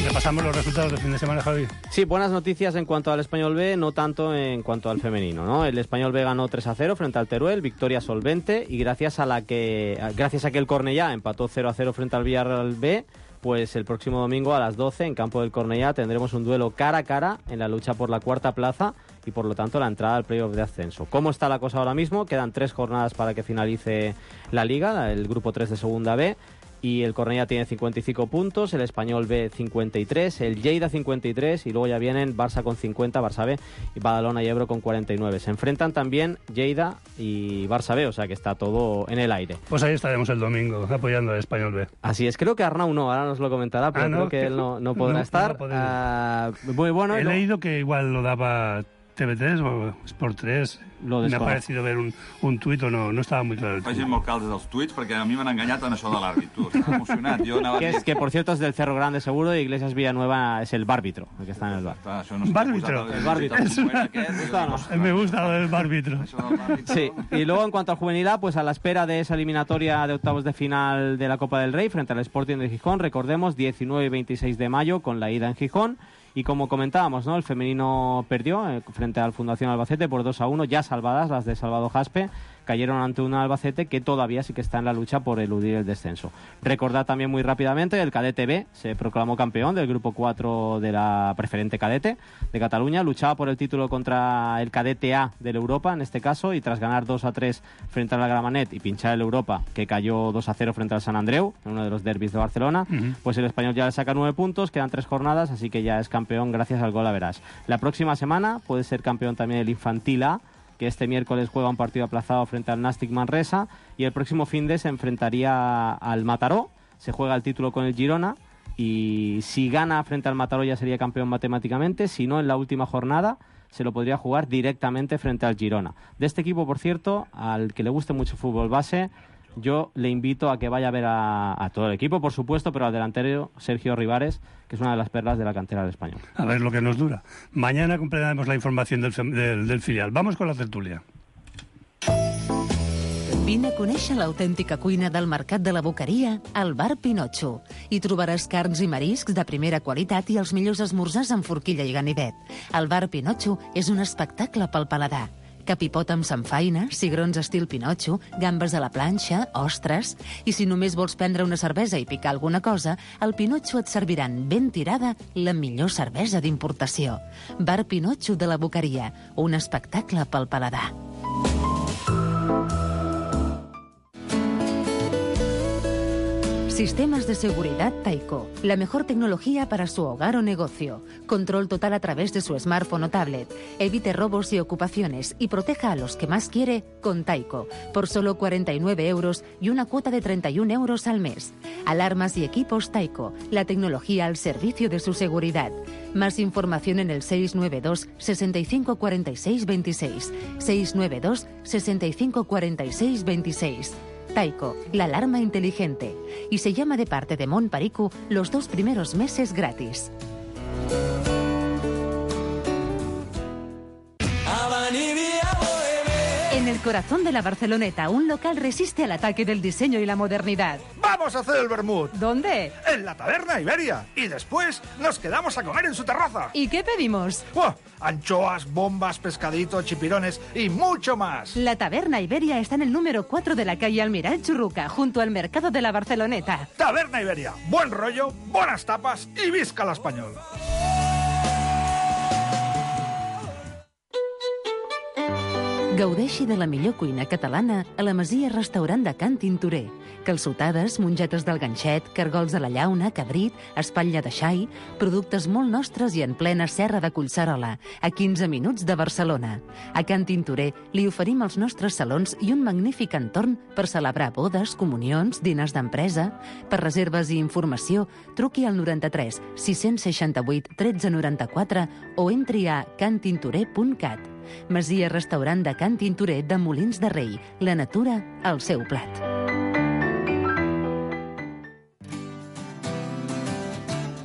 Repasamos los resultados del fin de semana, Javi. Sí, buenas noticias en cuanto al Español B, no tanto en cuanto al femenino, ¿no? El Español B ganó tres a cero frente al Teruel, victoria solvente, y gracias a la que gracias a que el Cornellá empató cero a cero frente al Villarreal B, pues el próximo domingo a las doce en campo del Cornellá tendremos un duelo cara a cara en la lucha por la cuarta plaza y por lo tanto la entrada al playoff de ascenso. ¿Cómo está la cosa ahora mismo? Quedan tres jornadas para que finalice la liga, el grupo tres de segunda B, y el Cornellá tiene cincuenta y cinco puntos, el Español B cincuenta y tres, el Lleida cincuenta y tres y luego ya vienen Barça con cincuenta, Barça B y Badalona y Ebro con cuarenta y nueve. Se enfrentan también Lleida y Barça B, o sea que está todo en el aire. Pues ahí estaremos el domingo apoyando al Español B. Así es, creo que Arnau no, ahora nos lo comentará, pero Ah, ¿no? creo que él no, no podrá No, estar. no va a Ah, muy bueno. He y lo- leído que igual lo daba T V tres o Sport tres. Lo Me ha desconozco. parecido ver un, un tuit o no, no estaba muy claro el tuit. Facin molt caldes els tuits, perquè a mi m'han enganyat en això de l'àrbit. Tu, estava emocionat. Jo anava Que, a dir... es, que por cierto es del Cerro Grande seguro y Iglesias Villanueva es el bárbitro, el que está en el bar. Clar, això no s'ha Bàrbitro. posat El bàrbitro. el document aquest, i Està, no. dic, Me gusta el árbitro. això del bàrbitro. Sí, y luego en cuanto al juvenil A, pues a la espera de esa eliminatoria de octavos de final de la Copa del Rey frente al Sporting de Gijón, recordemos, diecinueve y veintiséis de mayo con la ida en Gijón. Y como comentábamos, ¿no? El femenino perdió eh, frente al Fundación Albacete por dos a uno, ya salvadas las de Salvador Jaspe, cayeron ante un Albacete que todavía sí que está en la lucha por eludir el descenso. Recordad también muy rápidamente, el Cadete B se proclamó campeón del grupo cuatro de la preferente cadete de Cataluña, luchaba por el título contra el Cadete A del Europa, en este caso, y tras ganar dos a tres frente al Gramenet y pinchar el Europa, que cayó dos a cero frente al Sant Andreu, en uno de los derbis de Barcelona, uh-huh. pues el Español ya le saca nueve puntos, quedan tres jornadas, así que ya es campeón gracias al gol a verás. La próxima semana puede ser campeón también el Infantil A, que este miércoles juega un partido aplazado frente al Nàstic Manresa, y el próximo finde se enfrentaría al Mataró, se juega el título con el Girona, y si gana frente al Mataró ya sería campeón matemáticamente, si no en la última jornada se lo podría jugar directamente frente al Girona. De este equipo, por cierto, al que le guste mucho fútbol base, yo le invito a que vaya a ver a, a todo el equipo, por supuesto, pero al delantero Sergio Rivares, que es una de las perlas de la cantera del Español. A ver lo que nos dura. Mañana completaremos la información del, del, del filial. Vamos con la tertulia. Vine a conèixer l'autèntica cuina del Mercat de la Boqueria al Bar Pinotxo. Hi trobaràs carns i mariscs de primera qualitat i els millors esmorzars amb forquilla i ganivet. El Bar Pinotxo és un espectacle pel paladar. Capipot amb samfaina, cigrons estil Pinotxo, gambes a la planxa, ostres... I si només vols prendre una cervesa i picar alguna cosa, al Pinotxo et serviran ben tirada la millor cervesa d'importació. Bar Pinotxo de la Boqueria, un espectacle pel paladar. Sistemas de seguridad Taiko. La mejor tecnología para su hogar o negocio. Control total a través de su smartphone o tablet. Evite robos y ocupaciones y proteja a los que más quiere con Taiko. Por solo cuarenta y nueve euros y una cuota de treinta y un euros al mes. Alarmas y equipos Taiko. La tecnología al servicio de su seguridad. Más información en el seis nueve dos, sesenta y cinco, cuarenta y seis, veintiséis. seis nueve dos, sesenta y cinco, cuarenta y seis, veintiséis. Taiko, la alarma inteligente. Y se llama de parte de Mon Paricu los dos primeros meses gratis. En el corazón de la Barceloneta, un local resiste al ataque del diseño y la modernidad. ¡Vamos a hacer el vermut! ¿Dónde? En la Taberna Iberia. Y después nos quedamos a comer en su terraza. ¿Y qué pedimos? ¡Oh! Anchoas, bombas, pescadito, chipirones y mucho más. La Taberna Iberia está en el número cuatro de la calle Almirall Churruca, junto al mercado de la Barceloneta. Taberna Iberia. Buen rollo, buenas tapas y visca la español. Gaudeixi de la millor cuina catalana a la Masia Restaurant de Can Tintorer. Calçotades, mongetes del ganxet, cargols de la llauna, cabrit, espatlla de xai, productes molt nostres i en plena serra de Collserola, a quinze minuts de Barcelona. A Can Tintorer li oferim els nostres salons i un magnífic entorn per celebrar bodes, comunions, diners d'empresa. Per reserves i informació, truqui al noranta-tres sis seixanta-vuit tretze noranta-quatre o entri a cantintorer punt cat. Masia Restaurant de Can Tintorer de Molins de Rei. La natura al seu plat.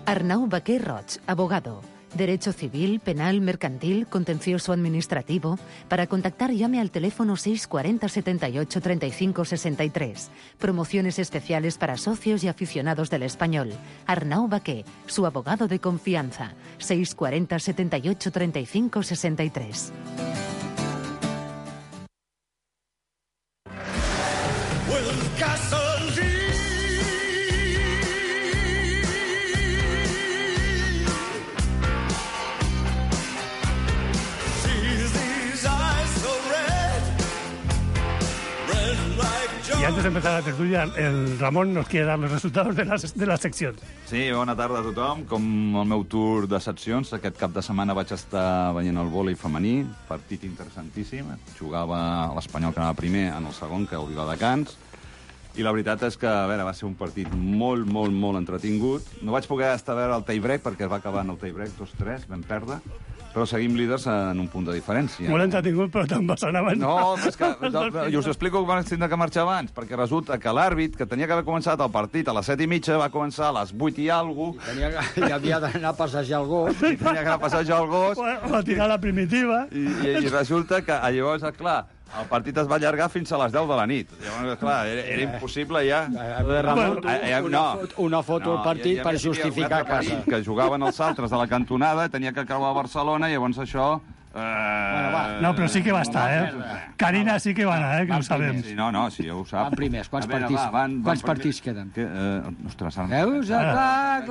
Arnau Baquer Roig, abogado. Derecho civil, penal, mercantil, contencioso administrativo. Para contactar llame al teléfono seis cuarenta, setenta y ocho, treinta y cinco, sesenta y tres. Promociones especiales para socios y aficionados del español. Arnau Baquer, su abogado de confianza. seis cuarenta, setenta y ocho, treinta y cinco, sesenta y tres. Y antes de empezar la tertulia, el Ramon nos quiere dar los resultados de las, de las seccions. Sí, bona tarda a tothom. Com el meu tour de seccions, aquest cap de setmana vaig estar veient el vòlei femení, partit interessantíssim. Jugava l'Espanyol, que anava primer, en el segon, que el Viladecans. I la veritat és que, a veure, va ser un partit molt, molt, molt entretingut. No vaig poder estar a veure el tie-break, perquè es va acabar en el tie-break dos tres, vam perdre. Però seguim líders en un punt de diferència. Molt entretingut, però te'n vas anar abans. No, és que, no, i us explico que van tindre que marxar abans, perquè resulta que l'àrbit, que tenia que haver començat el partit a les set i mitja, va començar a les vuit i alguna cosa. Tenia que, i havia d'anar a passejar el gos. I tenia que anar a passejar el gos. O a tirar la primitiva. I, i, i resulta que llavors, clar, el partit es va allargar fins a les deu de la nit. Llavors, clar, era, era impossible ja. Ramon, una, no, foto, una foto al partit no, per justificar a casa. Que jugaven els altres de la cantonada, tenia que creuar a Barcelona, i llavors això Uh, bueno, va. No, però sí que va estar, eh? Carina sí que va anar, eh? Que ho sabem. Sí, no, no, sí, ja ho sap. Van primers. Quants veure, partits, va, van, quants van partits queden? Que, uh, ostres, ara... Veus? Ah, clar,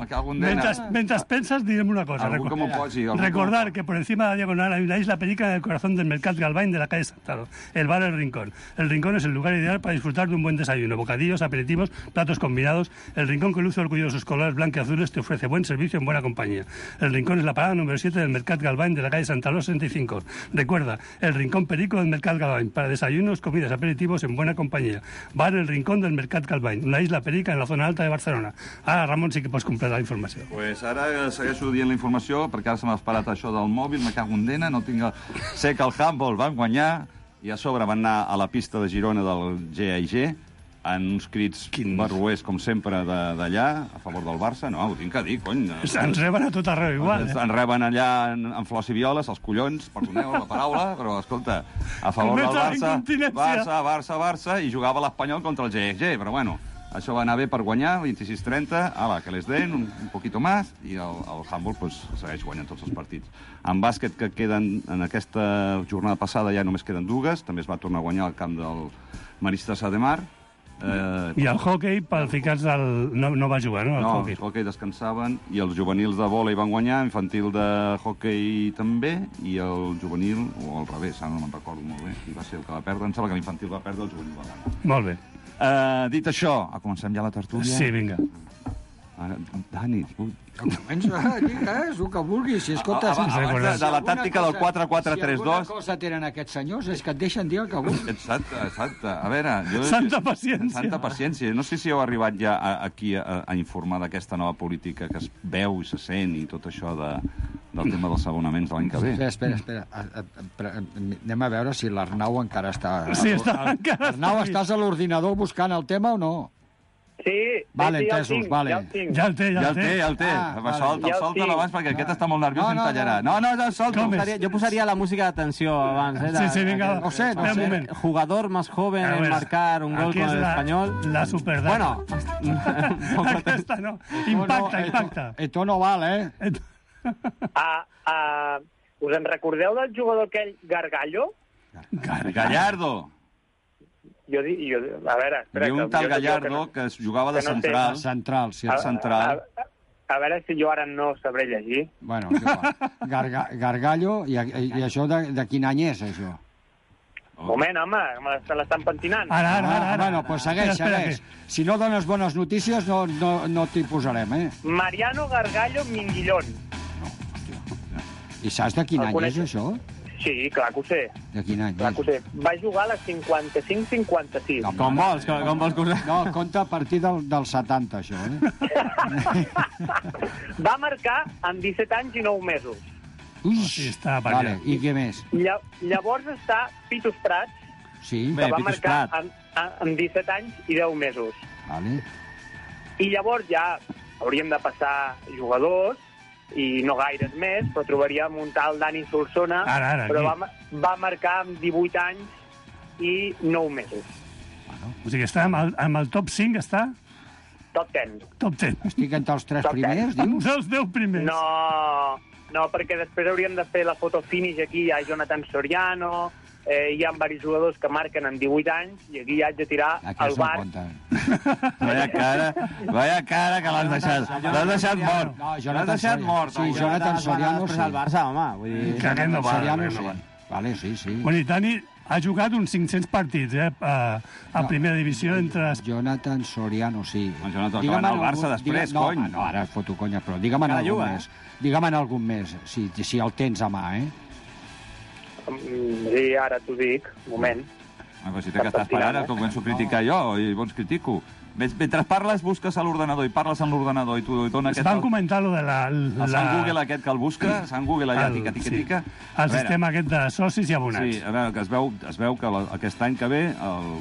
clar. Bueno, mentre, mentre penses, direm una cosa. Algú que m'ho posi. Recordar que por encima de la diagonal hay una isla perica en el corazón del Mercat Galván de la calle Santalo, el bar El Rincón. El Rincón es el lugar ideal para disfrutar de un buen desayuno, bocadillos, aperitivos, platos combinados. El Rincón, que luce orgulloso de sus colores blancos y azules, te ofrece buen servicio en buena compañía. El Rincón es la parada número siete del Mercat Galván de la calle Santalo sesenta y cinco. Recuerda, el Rincón Perico del Mercat Galván, para desayunos, comidas, aperitivos en buena compañía. Bar El Rincón del Mercat Galván, una isla perica en la zona alta de Barcelona. Ara, Ramon, sí que pots completar la informació. Pues ara segueixo dient la informació, perquè ara se m'ha esperat això del mòbil, me cago en dena, no tinc... El... Sé que el Handball van guanyar, i a sobre van anar a la pista de Girona del G I G, en uns crits Quin... barruers, com sempre, d'allà, a favor del Barça. No, ho tinc que dir, cony. Ens reben a tot arreu igual, eh? Ens reben allà en, en flors i violes, els collons, perdoneu la paraula, però, escolta, a favor del Barça, Barça, Barça, Barça, i jugava l'Espanyol contra el G I G, però bueno, això va anar bé per guanyar, vint-i-sis trenta, ala, que les den, un, un poquito más, i el, el handball pues, segueix guanyant tots els partits. En bàsquet, que queden en aquesta jornada passada, ja només queden dues, també es va tornar a guanyar al camp del Maristes de Mar. Eh, I el hockey, pel ficats del... No, no va jugar, no? El no, hockey. el hockey descansaven, i els juvenils de vòlei van guanyar, infantil de hockey també, i el juvenil, o al revés, ara no me'n recordo molt bé, qui va ser el que va perdre, em sembla que l'infantil va perdre, el juvenil va guanyar. Molt bé. Uh, dit això, comencem ja la tertúlia? Sí, vinga. Ara, Dani... Comença, digues, el que vulguis. Si escoltes... A, a, abans de, de la tàctica del quatre quatre tres dos... Si alguna cosa tenen aquests senyors és que et deixen dir el que vulguis. Exacte, exacte. A veure... Jo, Santa paciència. Santa paciència. No sé si heu arribat ja a, aquí a, a informar d'aquesta nova política que es veu i se sent i tot això de, del tema dels abonaments de l'any que ve. Espera, espera, espera. Anem a veure si l'Arnau encara està... Sí, està, encara Arnau, estàs a l'ordinador buscant el tema o no? Sí, vale, sí, entesos, ja el tinc, vale. ja el tinc. Ja el té, ja Ja el el té, té. ja el té. Ah, Va, vale. solta, Ja el solta tinc. abans, perquè aquest està molt nerviós No, i no, em tallarà. No, no, no, solta. Com és? Posaria, yo posaría la música de atención abans, eh? Sí, sí, vinga, No va. sé, no Espera sé. un moment. Jugador más joven A en ver, marcar un gol aquí con es el la- español. La superdata. Bueno, un poco Aquesta no. Impacta, impacta. Esto no val, eh? Ah, ah, us en recordeu del jugador aquell Gargallo? Gallardo. Jo, di- jo, a veure, espera... Hi havia un que tal jo- jo Gallardo que no- que es jugava de que no sé. central. Central, sí. A, central. A, a, a veure si jo ara no sabré llegir. Bueno, és igual. Garga, Gargallo, i, i, i això de, de quin any és, això? Oh. Moment, home, me se l'estan pentinant. Ara, ara, ara. ara. Bueno, pues segueix, Espera, segueix. espera, Si no dones bones notícies, no, no, no t'hi posarem, eh? Mariano Gargallo Minguillón. I saps de quin El any coneixes? és, això? Sí, clar que ho sé, De quin any clar és? que ho sé. Va jugar a la cinquanta-cinc cinquanta-sis. No, com vols, com, com vols que us... No, compta a partir del, del setanta, això, eh? Va marcar amb disset anys i nou mesos. Ui, sí, està per vale, allà. i què més? Lla Llavors està Pitus Prats, Sí, Bé, que va Pitus marcar Prat. amb, amb disset anys i deu mesos. vale. I llavors ja hauríem de passar jugadors, i no gaires més, però trobaríem un tal Dani Solsona, Ara, ara, però va, aquí. ma- va marcar amb divuit anys i nou mesos. O sigui, està amb el, amb el top cinc, està? Top deu. Top deu. Estic entre els tres Top ten. primers, dius? Dels deu primers. No, no, perquè després hauríem de fer la foto finish aquí, hi ha Jonathan Soriano, eh, hi ha diversos jugadors que marquen amb divuit anys, i aquí ja haig de tirar el Aquests no bar. compten. Vaya cara, vaya cara que l'has deixat. L'has deixat mort. No, L'has Jonathan deixat Soriano. mort. Sí, home. Jonathan Soriano, Després sí. al Barça, home. Vull dir... Que aquest no va, Soriano, aquest no sí. va. Vale, sí, sí. Bueno, i Dani ha jugat uns cinc-cents partits, eh, a, a No. primera divisió entre... Jonathan Soriano, sí. No, Jonathan, que Digue'm va anar al en Barça algun- després, digue- no, cony. ah, No, ara foto conya, però digue'm en Encara algun juga, més. Digue'm en algun més, si, si el tens a mà, eh? Mm, Sí, ara t'ho dic, un moment. Ah, però si té que estar esperant, que començo a criticar jo, i llavors critico. Mentre parles, busques a l'ordenador, i parles en l'ordenador, i t'ho dona aquest... Van comentar lo de la... El Sant Google aquest que el busca, Sant Google allà, tica, tica, tica. El sistema aquest de socis i abonats. Sí, a veure, que es veu, es veu que la, aquest any que ve, el,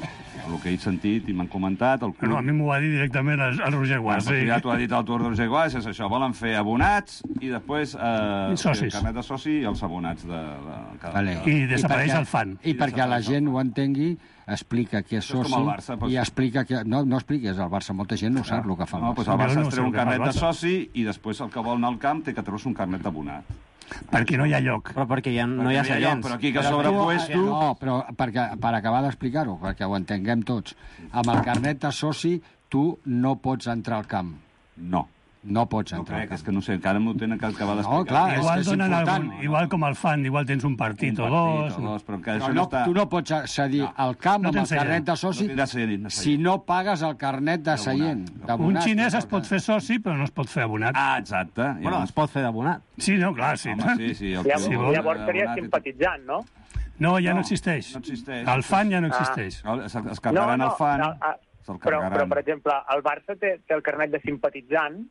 el que he sentit i m'han comentat, el club... No, a mi m'ho va dir directament el, el Roger Guas. Bueno, Sí. ja t'ho ha dit el Tour de Roger Guas, és això, volen fer abonats i després eh, I socis. el carnet de soci i els abonats de... de, de Vale. I desapareix perquè- el fan. I perquè la gent ho entengui, explica que és Això és soci com el Barça, doncs. i explica que... No, no expliques, el Barça, molta gent no sap el que fa el No, Barça. doncs el Barça Jo no es sé treu el un que fa el carnet de Barça. soci i després el que vol anar al camp té que treure un carnet d'abonat. Perquè no hi ha lloc. Però perquè ja no hi ha seients. Però aquí que sobrepuesto... No, però perquè, per acabar d'explicar-ho, perquè ho entenguem tots, amb el carnet de soci tu no pots entrar al camp. No. No pots No entrar al crec, camp. és que no sé, encara m'ho tenen que acabar d'explicar. No, clar, és Igual que és donen important. algun, igual com el fan, igual tens un partit Un o partit dos. o dos, però que Però això no, no està... tu no pots accedir al camp No amb el tens seient. carnet de soci No tindràs seient, no si seient. no pagues el carnet de seient. Un d'abonat. xinès es pot fer soci, però no es pot fer abonat. Ah, exacte. Bueno, es pot fer d'abonat. Sí, no, clar, sí. Home, sí, sí. El Llavors, Sí, que- vol- llavors seria abonat i tot. simpatitzant, no? No, ja no, No, existeix. no existeix. El fan ja no Ah. existeix. Es, es carregaran el fan, no, ah, se'l però, carregaran. però, per exemple, el Barça té, té el carnet de simpatitzant,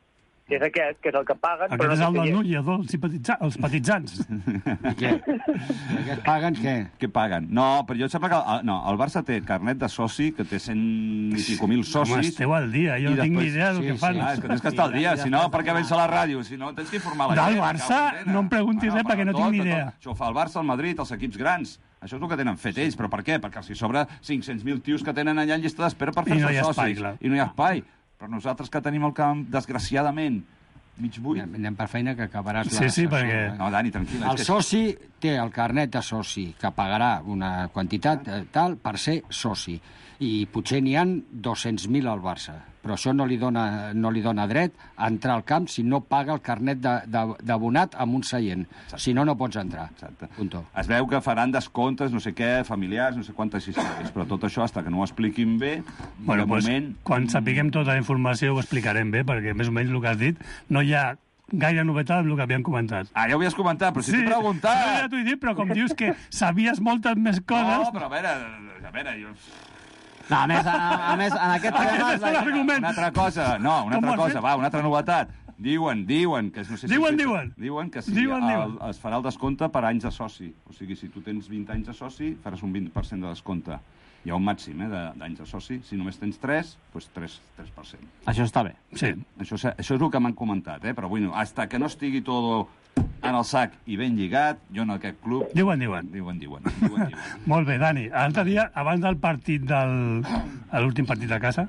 que és aquest, que és el que paguen... Aquest però és no el sé del si- Núria, dels simpatitza- els petitzants. I què? I què paguen què? Què paguen? No, però jo em sembla que el, no, el Barça té carnet de soci, que té cent i pico mil socis. Home, esteu al dia, jo I no tinc ni després- idea del sí, que sí. fan. Ah, és que tens que estar al dia, si no, per què vens a la ràdio? Si no, tens que informar la Del gent. Barça, cap condena. no em preguntis res, perquè no tinc tot, ni tot. idea. Això ho fa el Barça, el Madrid, els equips grans. Això és el que tenen fet ells, però per què? Perquè els hi sobra cinc-cents mil tios que tenen allà en llista d'espera per I no fer-se hi ha socis. espai, clar. I no hi ha espai. Però nosaltres que tenim el camp, desgraciadament, mig buit... Anem per feina que acabaràs Sí, la sí, sessió, perquè- eh? No, Dani, tranquil·la. El soci té el carnet de soci, que pagarà una quantitat eh, tal per ser soci. I potser n'hi han dos-cents mil al Barça. Però això no li dona, no li dona dret a entrar al camp si no paga el carnet de- de- d'abonat amb un seient. Si no, no pots entrar. Exacte. Punto. Es veu que faran descomptes, no sé què, familiars, no sé quantes històries, però tot això, hasta que no ho expliquin bé, Bueno, de pues, moment... quan sapiguem tota la informació ho explicarem bé, perquè més o menys el que has dit no hi ha gaire novetat amb el que havíem comentat. Ah, ja ho havies comentat, però si t'he preguntat... no, ja t'ho he dit, però com dius que sabies moltes més coses... No, però a veure, a veure, jo... No, a més, a, a més, en aquest Aquest tema... és l'argument. Una altra cosa, no, una Com altra ho has cosa, fet? va, una altra novetat. Diuen, diuen, que no sé si... Diuen, diuen. Diuen que sí, Diuen, el, diuen. es farà el descompte per anys de soci. O sigui, si tu tens vint anys de soci, faràs un vint per cent de descompte. Hi ha un màxim, eh, de- d'anys de soci. Si només tens tres, doncs tres per cent. Això està bé. Sí. Això, és- això és el que m'han comentat, eh? Però bueno, hasta que no estigui tot en el sac i ben lligat, jo en aquest club... Diuen, diuen. Diuen, diuen. diuen, diuen. Molt bé, Dani. L'altre dia, abans del partit del... a l'últim partit de casa,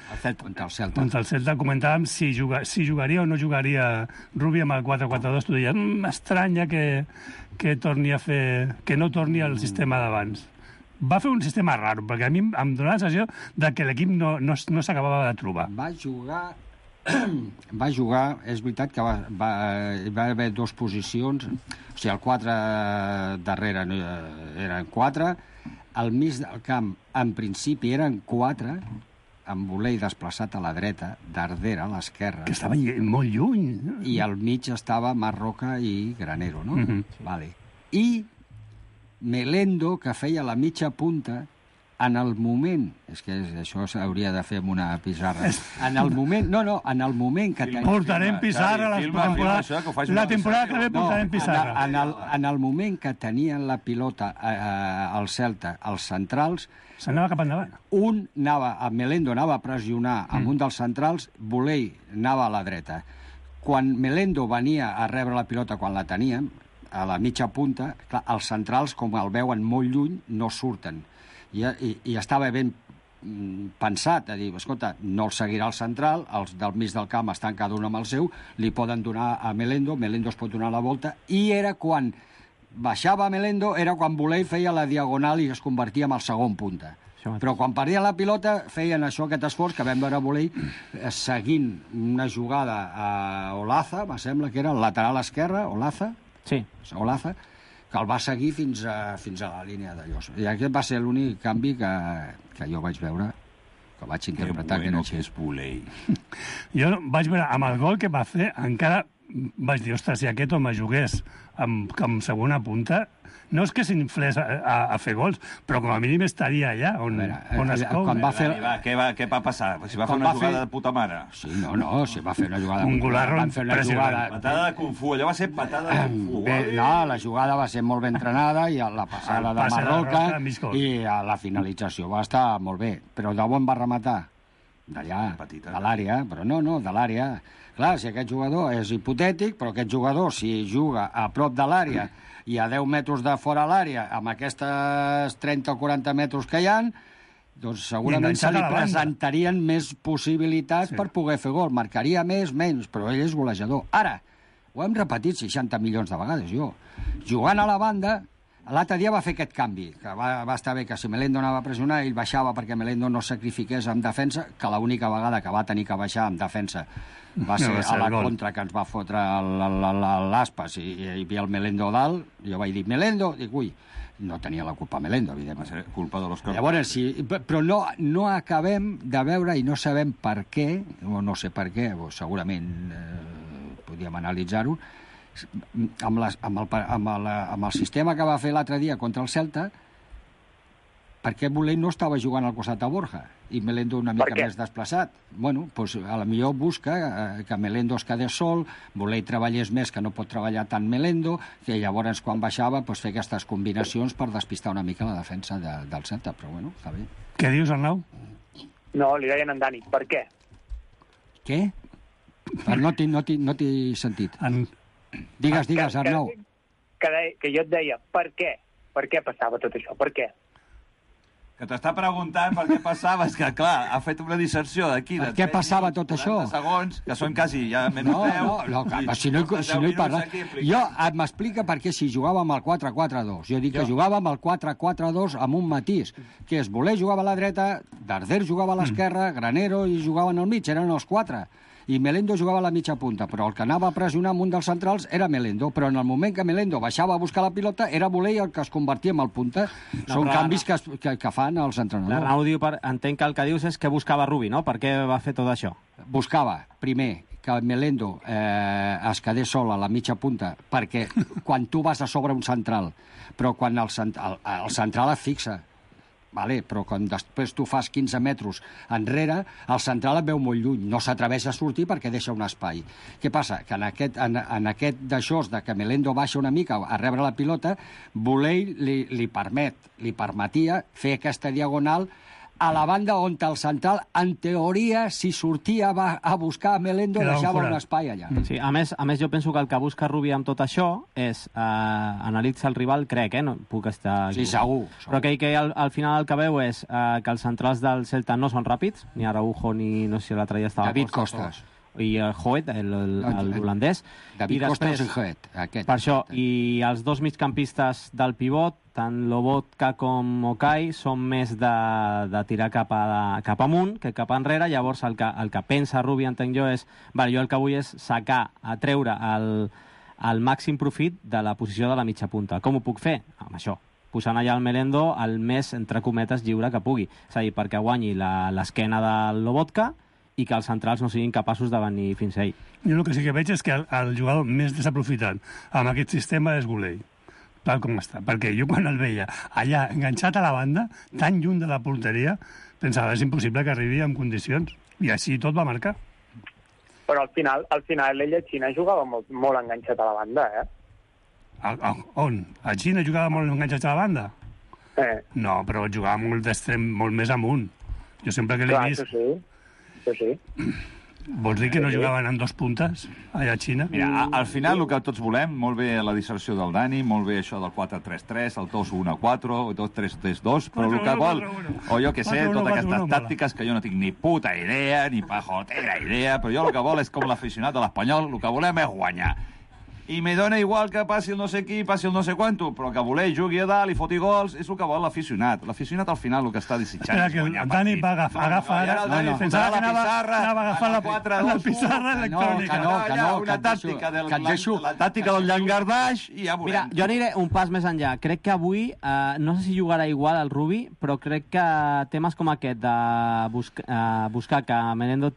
El Celta. Contra el Celta. contra el Celta, comentàvem si, juga, si jugaria o no jugaria Rubi amb el quatre quatre dos. Tu deies, mmm, estranya que, que torni a fer... que no torni al sistema d'abans. Va fer un sistema raro, perquè a mi em donava la sensació de que l'equip no, no, no s'acabava de trobar. Va jugar... va jugar, és veritat que va, va, hi va haver dues posicions, o sigui, el quatre darrere no, eh, eren quatre, al mig del camp, en principi, eren quatre, amb Volei desplaçat a la dreta, Dardera a l'esquerra, Que estava lle- molt lluny. i al mig estava Marroca i Granero, no? Mhm. Vale. I Melendo, que feia la mitja punta, en el moment... És que això s'hauria de fer amb una pissarra. En el moment... No, no, en el moment que... Filma, ten- Portarem filma, pissarra Xavi, la filma, filma temporada, això, que ho faci la una temporada que sèrie. ve portarem en, pissarra. en, el, en el moment que tenien la pilota eh, al Celta, els centrals, S'anava cap endavant. un anava, a Melendo anava a pressionar amb un dels centrals, Volei anava a la dreta. Quan Melendo venia a rebre la pilota quan la teníem, a la mitja punta, clar, els centrals, com el veuen molt lluny, no surten. I, i, i estava ben mm, pensat, a dir, escolta, no el seguirà el central, els del mig del camp estan cada un amb el seu, li poden donar a Melendo, Melendo es pot donar la volta, i era quan baixava Melendo, era quan Volei feia la diagonal i es convertia en el segon punta. Però quan perdia la pilota feien això, aquest esforç que vam veure a Volei eh, seguint una jugada a Olaza, me sembla que era el lateral esquerre, Olaza, Sí. Olaza, que el va seguir fins a, fins a la línia de Llos. I aquest va ser l'únic canvi que, que jo vaig veure, que vaig Que interpretar bueno que que era és Volei. Jo vaig veure, amb el gol que va fer, encara vaig dir, ostres, si aquest home jugués amb, amb segona punta, no és que s'inflés a, a, a fer gols, però com a mínim estaria allà on, A veure, on es eh, cou. quan va fer- Dani, va, què, va, què va passar? Si va fer Quan una va fer- jugada de puta mare. Sí, no, no, si va fer una jugada... Un golarro van fer una impressionant. jugada... Patada de Kung Fu, allò va ser patada de Kung Fu. Bé, no, la jugada va ser molt ben entrenada i la passada El de passe de Marroca Roca, mig gol. i a la finalització va estar molt bé. Però d'on va rematar? D'allà, Petita. de l'àrea. Però no, no, de l'àrea. Clar, si aquest jugador és hipotètic, però aquest jugador, si juga a prop de l'àrea i a deu metres de fora l'àrea, amb aquestes trenta o quaranta metres que hi ha, doncs segurament se enganxat li a la banda. presentarien més possibilitats Sí. per poder fer gol. Marcaria més, menys, però ell és golejador. Ara, Ho hem repetit seixanta milions de vegades, jo. Jugant a la banda, l'altre dia va fer aquest canvi, que va, va estar bé que si Melendo anava a pressionar, ell baixava perquè Melendo no sacrifiqués en defensa, que l'única vegada que va tenir que baixar en defensa va ser a la contra que ens va fotre l'Aspas i hi havia el Melendo dalt. Jo vaig dir, Melendo, dic, ui, no tenia la culpa Melendo, evidentment. Va ser culpa de l'Òscar. Llavors, sí, però no, no acabem de veure i no sabem per què, o no sé per què, o segurament eh, podíem analitzar-ho, amb, les, amb, el, amb, el, amb el sistema que va fer l'altre dia contra el Celta, per què Bolell no estava jugant al costat de Borja i Melendo una mica més desplaçat? Bueno, doncs a la millor busca eh, que Melendo es quedés sol, Bolell treballés més, que no pot treballar tant Melendo, que llavors quan baixava pues, fer aquestes combinacions per despistar una mica la defensa de, del Celta, però bueno, està bé. Què dius, Arnau? No, li deien en Dani, per què? Què? No t'he no no sentit. En... Digues, digues, Arnau. Que, que, de, que jo et deia, per què? Per què passava tot això? Per què? Que t'està preguntant per què passava, és que, clar, ha fet una disserció d'aquí... Per què passava tot això? Segons, que són quasi ja menys no, deu... No, no, no si no, si no hi parla... Jo m'explica per què si jugava amb el quatre quatre dos. Jo dic jo. que jugava amb el quatre quatre dos amb un matís, que és Voler jugava a la dreta, Darder jugava a l'esquerra, mm. Granero i jugaven al mig, eren els quatre. I Melendo jugava a la mitja punta, però el que anava a pressionar amb un dels centrals era Melendo, però en el moment que Melendo baixava a buscar la pilota era Voler el que es convertia en el punta. No, Són canvis que, que, que fan els entrenadors. L'Arnau diu, per, entenc que el que dius és que buscava Rubi, no? Per què va fer tot això? Buscava, primer, que Melendo eh, es quedés sol a la mitja punta, perquè quan tu vas a sobre un central, però quan el, el, el central es fixa, vale, però quan després tu fas quinze metres enrere, el central et veu molt lluny, no s'atreveix a sortir perquè deixa un espai. Què passa? Que en aquest, en, en aquest d'això, de que Melendo baixa una mica a rebre la pilota, Bolell li, li permet, li permetia fer aquesta diagonal a la banda on el central, en teoria, si sortia a buscar a Melendo, deixava un espai allà. Sí, a més, a més, jo penso que el que busca Rubi amb tot això és eh, analitzar el rival, crec, eh? No puc estar... Sí, segur. segur. Però que, que al, al final el que veu és eh, que els centrals del Celta no són ràpids, ni Araujo, ni no sé si l'altre dia estava... David Costas. O... i el Hoet, l'holandès. David Costas i Hoet, aquest. Per això, i els dos migcampistes del pivot, tant Lobotka com Okay, són més de, de tirar cap, a, cap amunt que cap enrere. Llavors, el que, el que pensa Rubi, entenc jo, és vale, jo el que vull és sacar, a treure el, el màxim profit de la posició de la mitja punta. Com ho puc fer? Amb això, posant allà el Melendo el més, entre cometes, lliure que pugui. És a dir, perquè guanyi l'esquena del Lobotka i que els centrals no siguin capaços de venir fins a ell. Jo el que sí que veig és que el, el jugador més desaprofitat amb aquest sistema és Bolell, tal com està. Perquè jo quan el veia allà enganxat a la banda, tan lluny de la porteria, pensava és impossible que arribi en condicions. I així tot va marcar. Però al final, al final ell a Xina jugava molt, molt enganxat a la banda, eh? A, a, on? A Xina jugava molt enganxat a la banda? Eh. No, però jugava molt d'extrem, molt més amunt. Jo sempre que l'he Clar, vist... Això sí. Sí. Vols dir que no jugaven en dos puntes allà a Xina? Mira, a, al final el que tots volem, molt bé la disserció del Dani, molt bé això del quatre tres tres, el dos u quatre, el dos tres tres dos, però el que vol, o jo que sé, totes aquestes tàctiques que jo no tinc ni puta idea, ni pajotera idea, però jo el que vol és com l'aficionat de l'Espanyol, el que volem és guanyar. I me dona igual que passi el no sé qui, passi el no sé quanto, però que voler jugui a dalt i foti gols és el que vol l'aficionat. L'aficionat al final el que està desitjant és guanyar partit. Dani va agafar, agafa ara... No, no, pensava que anava, anava a agafar la, la pissarra electrònica. No, que no, una tàctica del, la, la tàctica del llangardaix i ja veurem. Mira, jo aniré un pas més enllà. Crec que avui, eh, no sé si jugarà igual el Rubi, però crec que temes com aquest de busca, eh, buscar que Melendo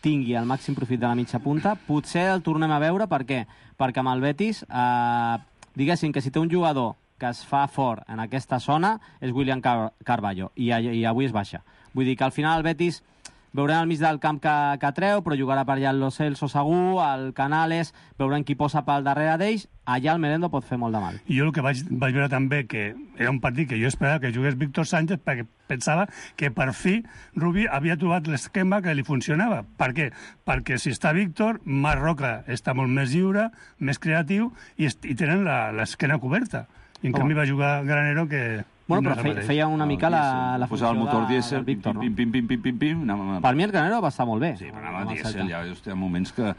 tingui el màxim profit de la mitja punta, potser el tornem a veure. Per què? Perquè amb el Betis, eh, diguéssim que si té un jugador que es fa fort en aquesta zona és William Car Carballo, i, i avui es baixa. Vull dir que al final el Betis veurem al mig del camp que, que treu, però jugarà per allà el Lo Celso segur, el Canales, veurem qui posa pel darrere d'ells, allà el Melendo pot fer molt de mal. I jo el que vaig, vaig veure també, que era un partit que jo esperava que jugués Víctor Sánchez, perquè pensava que per fi Rubi havia trobat l'esquema que li funcionava. Per què? Perquè si està Víctor, Marc Roca està molt més lliure, més creatiu, i, i tenen l'esquena coberta. I en oh. canvi va jugar Granero que... Bueno, però feia, feia una mica la, la funció el motor de, dièsel, del Víctor, pim, pim, pim, pim, pim, pim, pim, no? Per mi el Granero va estar molt bé. Sí, però anava dièsel, ja, hi ha moments que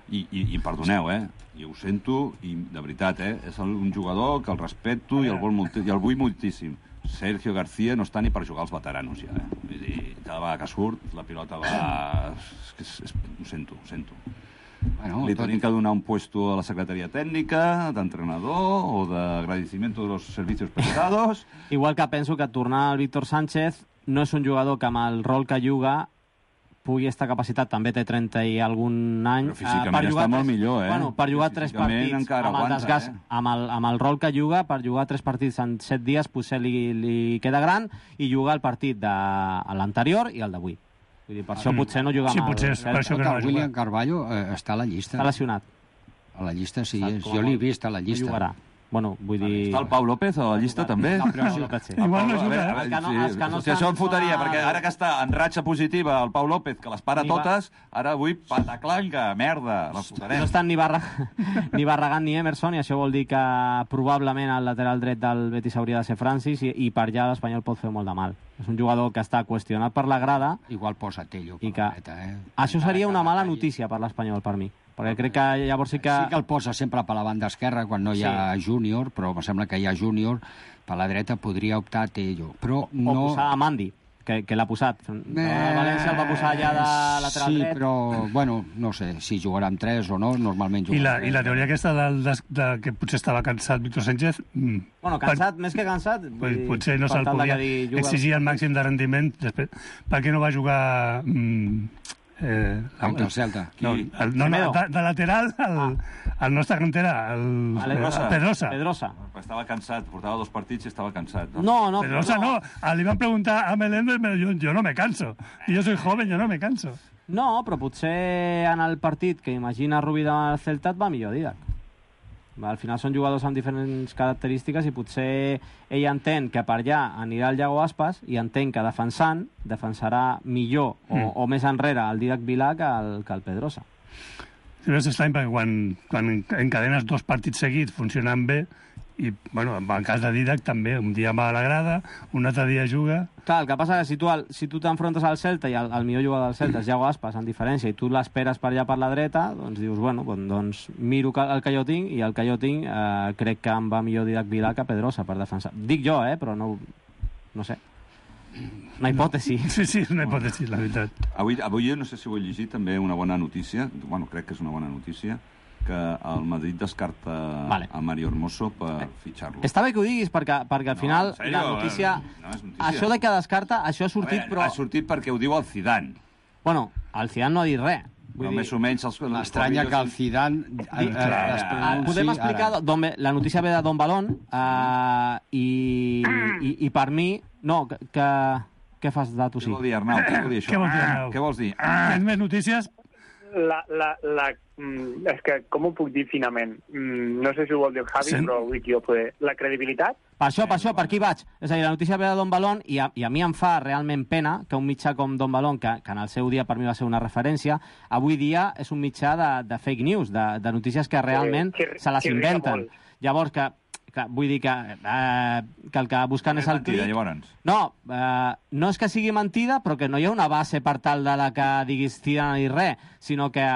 I, i, i perdoneu, eh? I ho sento, i de veritat, eh? És un jugador que el respecto i el, vol molti, i el vull moltíssim. Sergio García no està ni per jugar als veteranos, ja, eh? Vull dir, cada vegada que surt, la pilota va... És que és, és, ho sento, ho sento. Bueno, li tenim que donar un puesto a la secretaria tècnica, d'entrenador o d'agradecimiento de los servicios prestados. Igual que penso que tornar al Víctor Sánchez no és un jugador que amb el rol que juga pugui estar capacitat, també té trenta i algun any. Però físicament uh, està molt millor, eh? Bueno, per jugar tres partits amb aguanta, el desgast, eh? amb, el, amb el rol que juga, per jugar tres partits en set dies potser li, li queda gran i jugar el partit de l'anterior i el d'avui. Vull dir, per això potser no juga sí, amb potser el... Sí, per això que no William Carvalho eh, està a la llista. Està lesionat. A la llista sí, és. Jo l'he vist a la llista. No jugarà. Bueno, vull dir... Està el Pau López a la llista, també? No, però sí. Igual no juga, eh? Els que no, els que no si això em fotria, perquè ara que està en ratxa positiva el Pau López, que les para totes, ara avui pataclanca, merda, la fotarem. No estan ni, Barra... ni Barragán ni Emerson, i això vol dir que probablement el lateral dret del Betis hauria de ser Francis, i, i per allà l'Espanyol pot fer molt de mal. És un jugador que està qüestionat per la grada. Igual posa Tello per que... la dreta, eh? Això seria una mala notícia per l'Espanyol, per mi. Perquè crec que llavors sí que... Sí que el posa sempre per la banda esquerra quan no hi ha sí. júnior, però em sembla que hi ha júnior, per la dreta podria optar a Tello. Però no... O posar a Mandi, que, que l'ha posat. Eh... El València el va posar allà de lateral sí, dret. Sí, però, bueno, no sé si jugarà amb tres o no, normalment jugarà I la, amb tres. I la teoria aquesta de, de, de que potser estava cansat Víctor Sánchez... Mm, bueno, cansat, per, més que cansat... Pues, potser no se'l podia exigir el màxim de rendiment. Després, per què no va jugar... Mm, Eh, contra el Celta. No, el, no, no de, de lateral el, ah. el nostre cantera, el, el Pedrosa. Pedrosa. Pedrosa. Estava cansat, portava dos partits i estava cansat. No, no, no Pedrosa no. no. Li van preguntar a Meléndez, yo, yo no me canso. Y yo soy joven, yo no me canso. No, però potser en el partit que imagina Rubí del Celta et va millor Didac. Al final són jugadors amb diferents característiques i potser ell entén que per allà anirà el Iago Aspas i entén que defensant defensarà millor o, mm. o més enrere el Didac Vilà que el, que el Pedrosa. Sí, és estrany perquè quan, quan encadenes dos partits seguits funcionant bé i, bueno, en el cas de Didac també, un dia va a la grada, un altre dia juga... Clar, el que passa és que si tu, si tu t'enfrontes al Celta i el, el millor jugador del Celta és Iago Aspas, en diferència, i tu l'esperes per allà per la dreta, doncs dius, bueno, doncs miro el que jo tinc i el que jo tinc eh, crec que em va millor Didac Vilà que Pedrosa per defensar. Dic jo, eh, però no, no sé. Una hipòtesi. Sí, sí, és una hipòtesi, la veritat. Avui, avui no sé si ho he llegit, també una bona notícia, bueno, crec que és una bona notícia, que el Madrid descarta vale. a Mario Hermoso per fitxar-lo. Està bé que ho diguis, perquè, perquè al no, final serio, la notícia, no notícia... Això de que descarta, això ha sortit, veure, però... Ha sortit perquè ho diu el Zidane. Bueno, el Zidane no ha dit res. Però més o menys... Els... M'estranya que el Zidane... Eh, eh, eh, podem explicar... Don, la notícia ve de Don Balón eh, i, i, i per mi... No, que... que què fas de tu sí? Què vol dir, Arnau? Què vol dir això? Què vols dir, Arnau? Què vols dir? Tens més notícies? La, la, la, mm, és que, com ho puc dir finament? Mm, no sé si ho vol dir el Javi, sí. però vull dir jo poder... La credibilitat? Per això, per això, per aquí vaig. És a dir, la notícia ve de Don Balón i a, i a mi em fa realment pena que un mitjà com Don Balón, que, que en el seu dia per mi va ser una referència, avui dia és un mitjà de, de fake news, de, de notícies que realment sí, que, se les inventen. Llavors, que, que vull dir que, eh, que el que busquen és, és el clic... Llavors. No, eh, no és que sigui mentida, però que no hi ha una base per tal de la que diguis Zidane ni res, sinó que eh,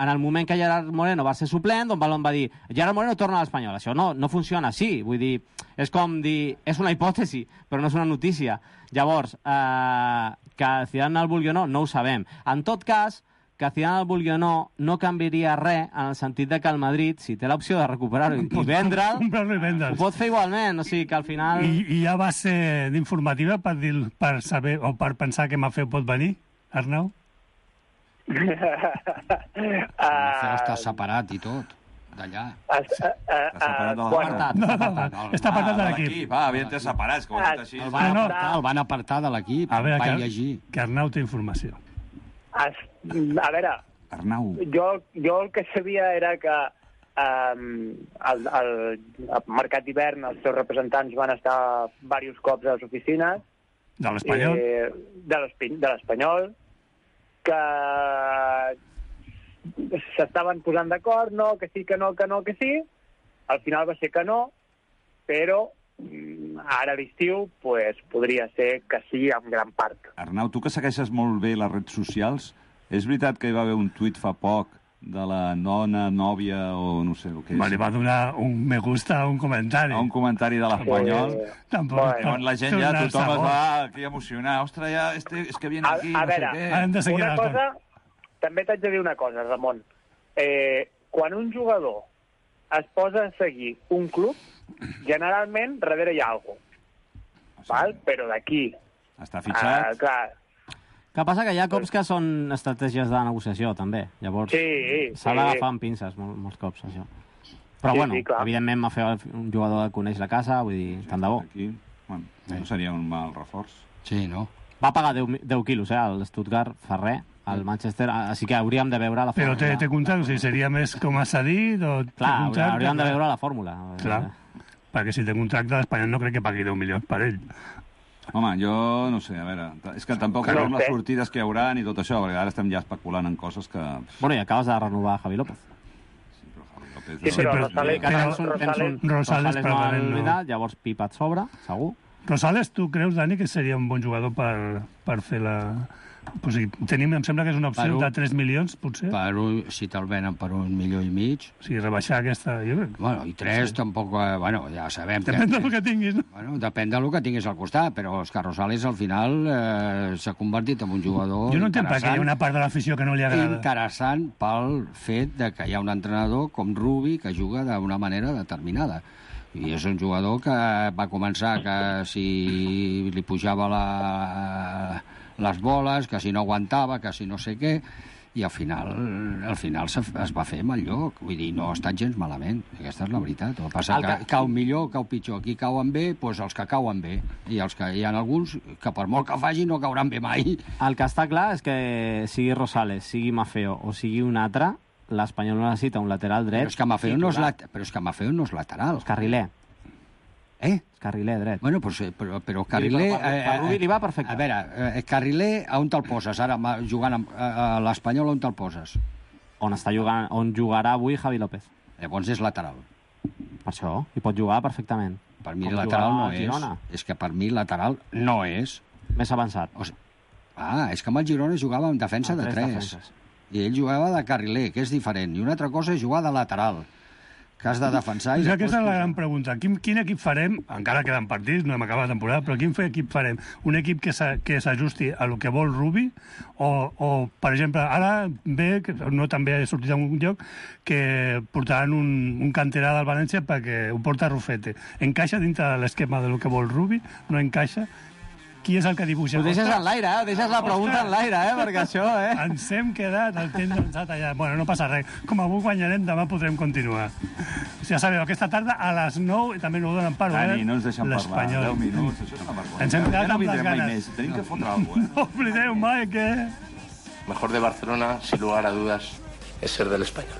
en el moment que Gerard Moreno va ser suplent, Don Balón va dir Gerard Moreno torna a l'Espanyol. Això no, no funciona així. Vull dir, és com dir... És una hipòtesi, però no és una notícia. Llavors, eh, que Zidane el vulgui o no, no ho sabem. En tot cas, que Zidane el vulgui o no, no canviaria res en el sentit de que el Madrid, si té l'opció de recuperar-ho i, i vendre'l, ho pot fer igualment. O sigui, que al final... I, i hi ha base d'informativa per, dir, per saber o per pensar que Mafeo pot venir, Arnau? Mafeo està separat i tot, d'allà. Està separat de la no, no, està apartat de l'equip. Va, havien de separats, que ho ha dit així. El van apartar, el van apartar de l'equip, va llegir. Que Arnau té informació. Es, a veure, Arnau. Jo, jo el que sabia era que um, al, al, al mercat d'hivern els seus representants van estar diversos cops a les oficines de l'Espanyol eh, de l'Espanyol que s'estaven posant d'acord, no, que sí, que no, que no, que sí. Al final va ser que no, però ara a l'estiu pues, podria ser que sí en gran part. Arnau, tu que segueixes molt bé les redes socials, és veritat que hi va haver un tuit fa poc de la nona, nòvia o no sé el que és. Va, li va donar un me gusta a un comentari. A un comentari de l'Espanyol. Eh, Tampoc. bueno. On la gent ja, tothom es va aquí a emocionar. Ostres, ja, este, és que viene A- aquí, a no sé veure, què. Hem de seguir Una la cosa, també t'haig de dir una cosa, Ramon. Eh, quan un jugador es posa a seguir un club, generalment darrere hi ha alguna cosa. Val? Però d'aquí... Està fitxat. Uh, clar, Que passa que hi ha cops que són estratègies de negociació, també. Llavors, Sí, s'ha sí. d'agafar amb pinces mol, molts cops, això. Però, Sí, bueno, sí, clar. evidentment, Maffeo, un jugador que coneix la casa, vull dir, tant de bo. Aquí, bueno, no seria un mal reforç. Sí, no? Va pagar deu, deu quilos, eh, al Stuttgart, Ferrer, al Manchester, així que hauríem de veure la Però fórmula. té, té contracte, o sigui, seria més com a cedit o té Clar, contracte? hauríem de veure la fórmula. Clar, perquè si té contracte, l'Espanyol no crec que pagui deu milions per ell. Home, jo no sé, a veure, és que tampoc No sabem ho les sé. sortides que hi haurà ni tot això, perquè ara estem ja especulant en coses que... Bueno, i acabes de renovar Javi López. Sí, però Javi López... Sí, però Rosales- Que tens un, Rosales- tens un, Rosales Rosales no probablement no. oblidat, llavors Pipa et sobra, segur. Rosales, tu creus, Dani, que seria un bon jugador per, per fer la... O sigui, tenim, em sembla que és una opció Per un- de tres milions, potser. Per un, si te'l venen per un milió i mig... O sigui, rebaixar aquesta... Jo crec. Bueno, i tres sí. tampoc... Eh, bueno, ja sabem Depèn que... del que tinguis, no? Bueno, depèn del que tinguis al costat, però els que Rosales al final eh, s'ha convertit en un jugador Jo no entenc perquè hi ha una part de l'afició que no li agrada. interessant pel fet de que hi ha un entrenador com Rubi que juga d'una manera determinada. I és un jugador que va començar que si li pujava la, les boles, que si no aguantava, que si no sé què, i al final, al final es, es va fer mal lloc. Vull dir, no ha estat gens malament. Aquesta és la veritat. El que passa El que que- cau millor, cau pitjor. Aquí cauen bé, doncs els que cauen bé. I els que hi ha alguns que per molt que faci no cauran bé mai. El que està clar és que sigui Rosales, sigui Maffeo o sigui un altre, l'Espanyol no necessita un lateral dret. Però és que Maffeo no és, titular. lat... però és, que Maffeo no és lateral. És carriler. Eh? És carriler dret. Bueno, però, però, però Carriler... per- per- per Rubi li va perfecte. A veure, eh, Carriler, a on te'l poses? Ara, ma- jugant amb, a, a l'Espanyol, on te'l poses? On està jugant, on jugarà avui Javi López. Llavors és lateral. Per això, i pot jugar perfectament. Per mi Com lateral jugava no al és. Girona. És que per mi lateral no és. Més avançat. O sigui, ah, és que amb el Girona jugava en defensa Amb de tres tres. defenses. I ell jugava de carriler, que és diferent. I una altra cosa és jugar de lateral, que has de defensar... O I sigui, després aquesta és la posar- gran pregunta. Quin, quin equip farem? Encara queden partits, no hem acabat la temporada, però quin equip farem? Un equip que s'a- que s'ajusti a lo que vol Rubi? O, o, per exemple, ara ve, que no també ha sortit en un lloc, que portaran un, un canterà del València perquè ho porta Rufete. Encaixa dintre de l'esquema de lo que vol Rubi? No encaixa? Qui és el que dibuixa? Ho deixes Ostres, en l'aire, eh? Ho deixes la pregunta en l'aire, eh? Perquè això, eh? ens hem quedat, el temps avançat allà. Bueno, no passa res. Com avui guanyarem, demà podrem continuar. Ja sabeu, aquesta tarda a les nou, i també no ho donen per obert, Dani, no ens deixen parlar. l'Espanyol. deu minuts, això és una vergonya. Ens hem quedat Ja no amb les vindrem mai ganes. més. Tenim que fotre alguna cosa, eh? No oblideu mai que... Mejor de Barcelona, sin lugar a dudas, es ser del Español.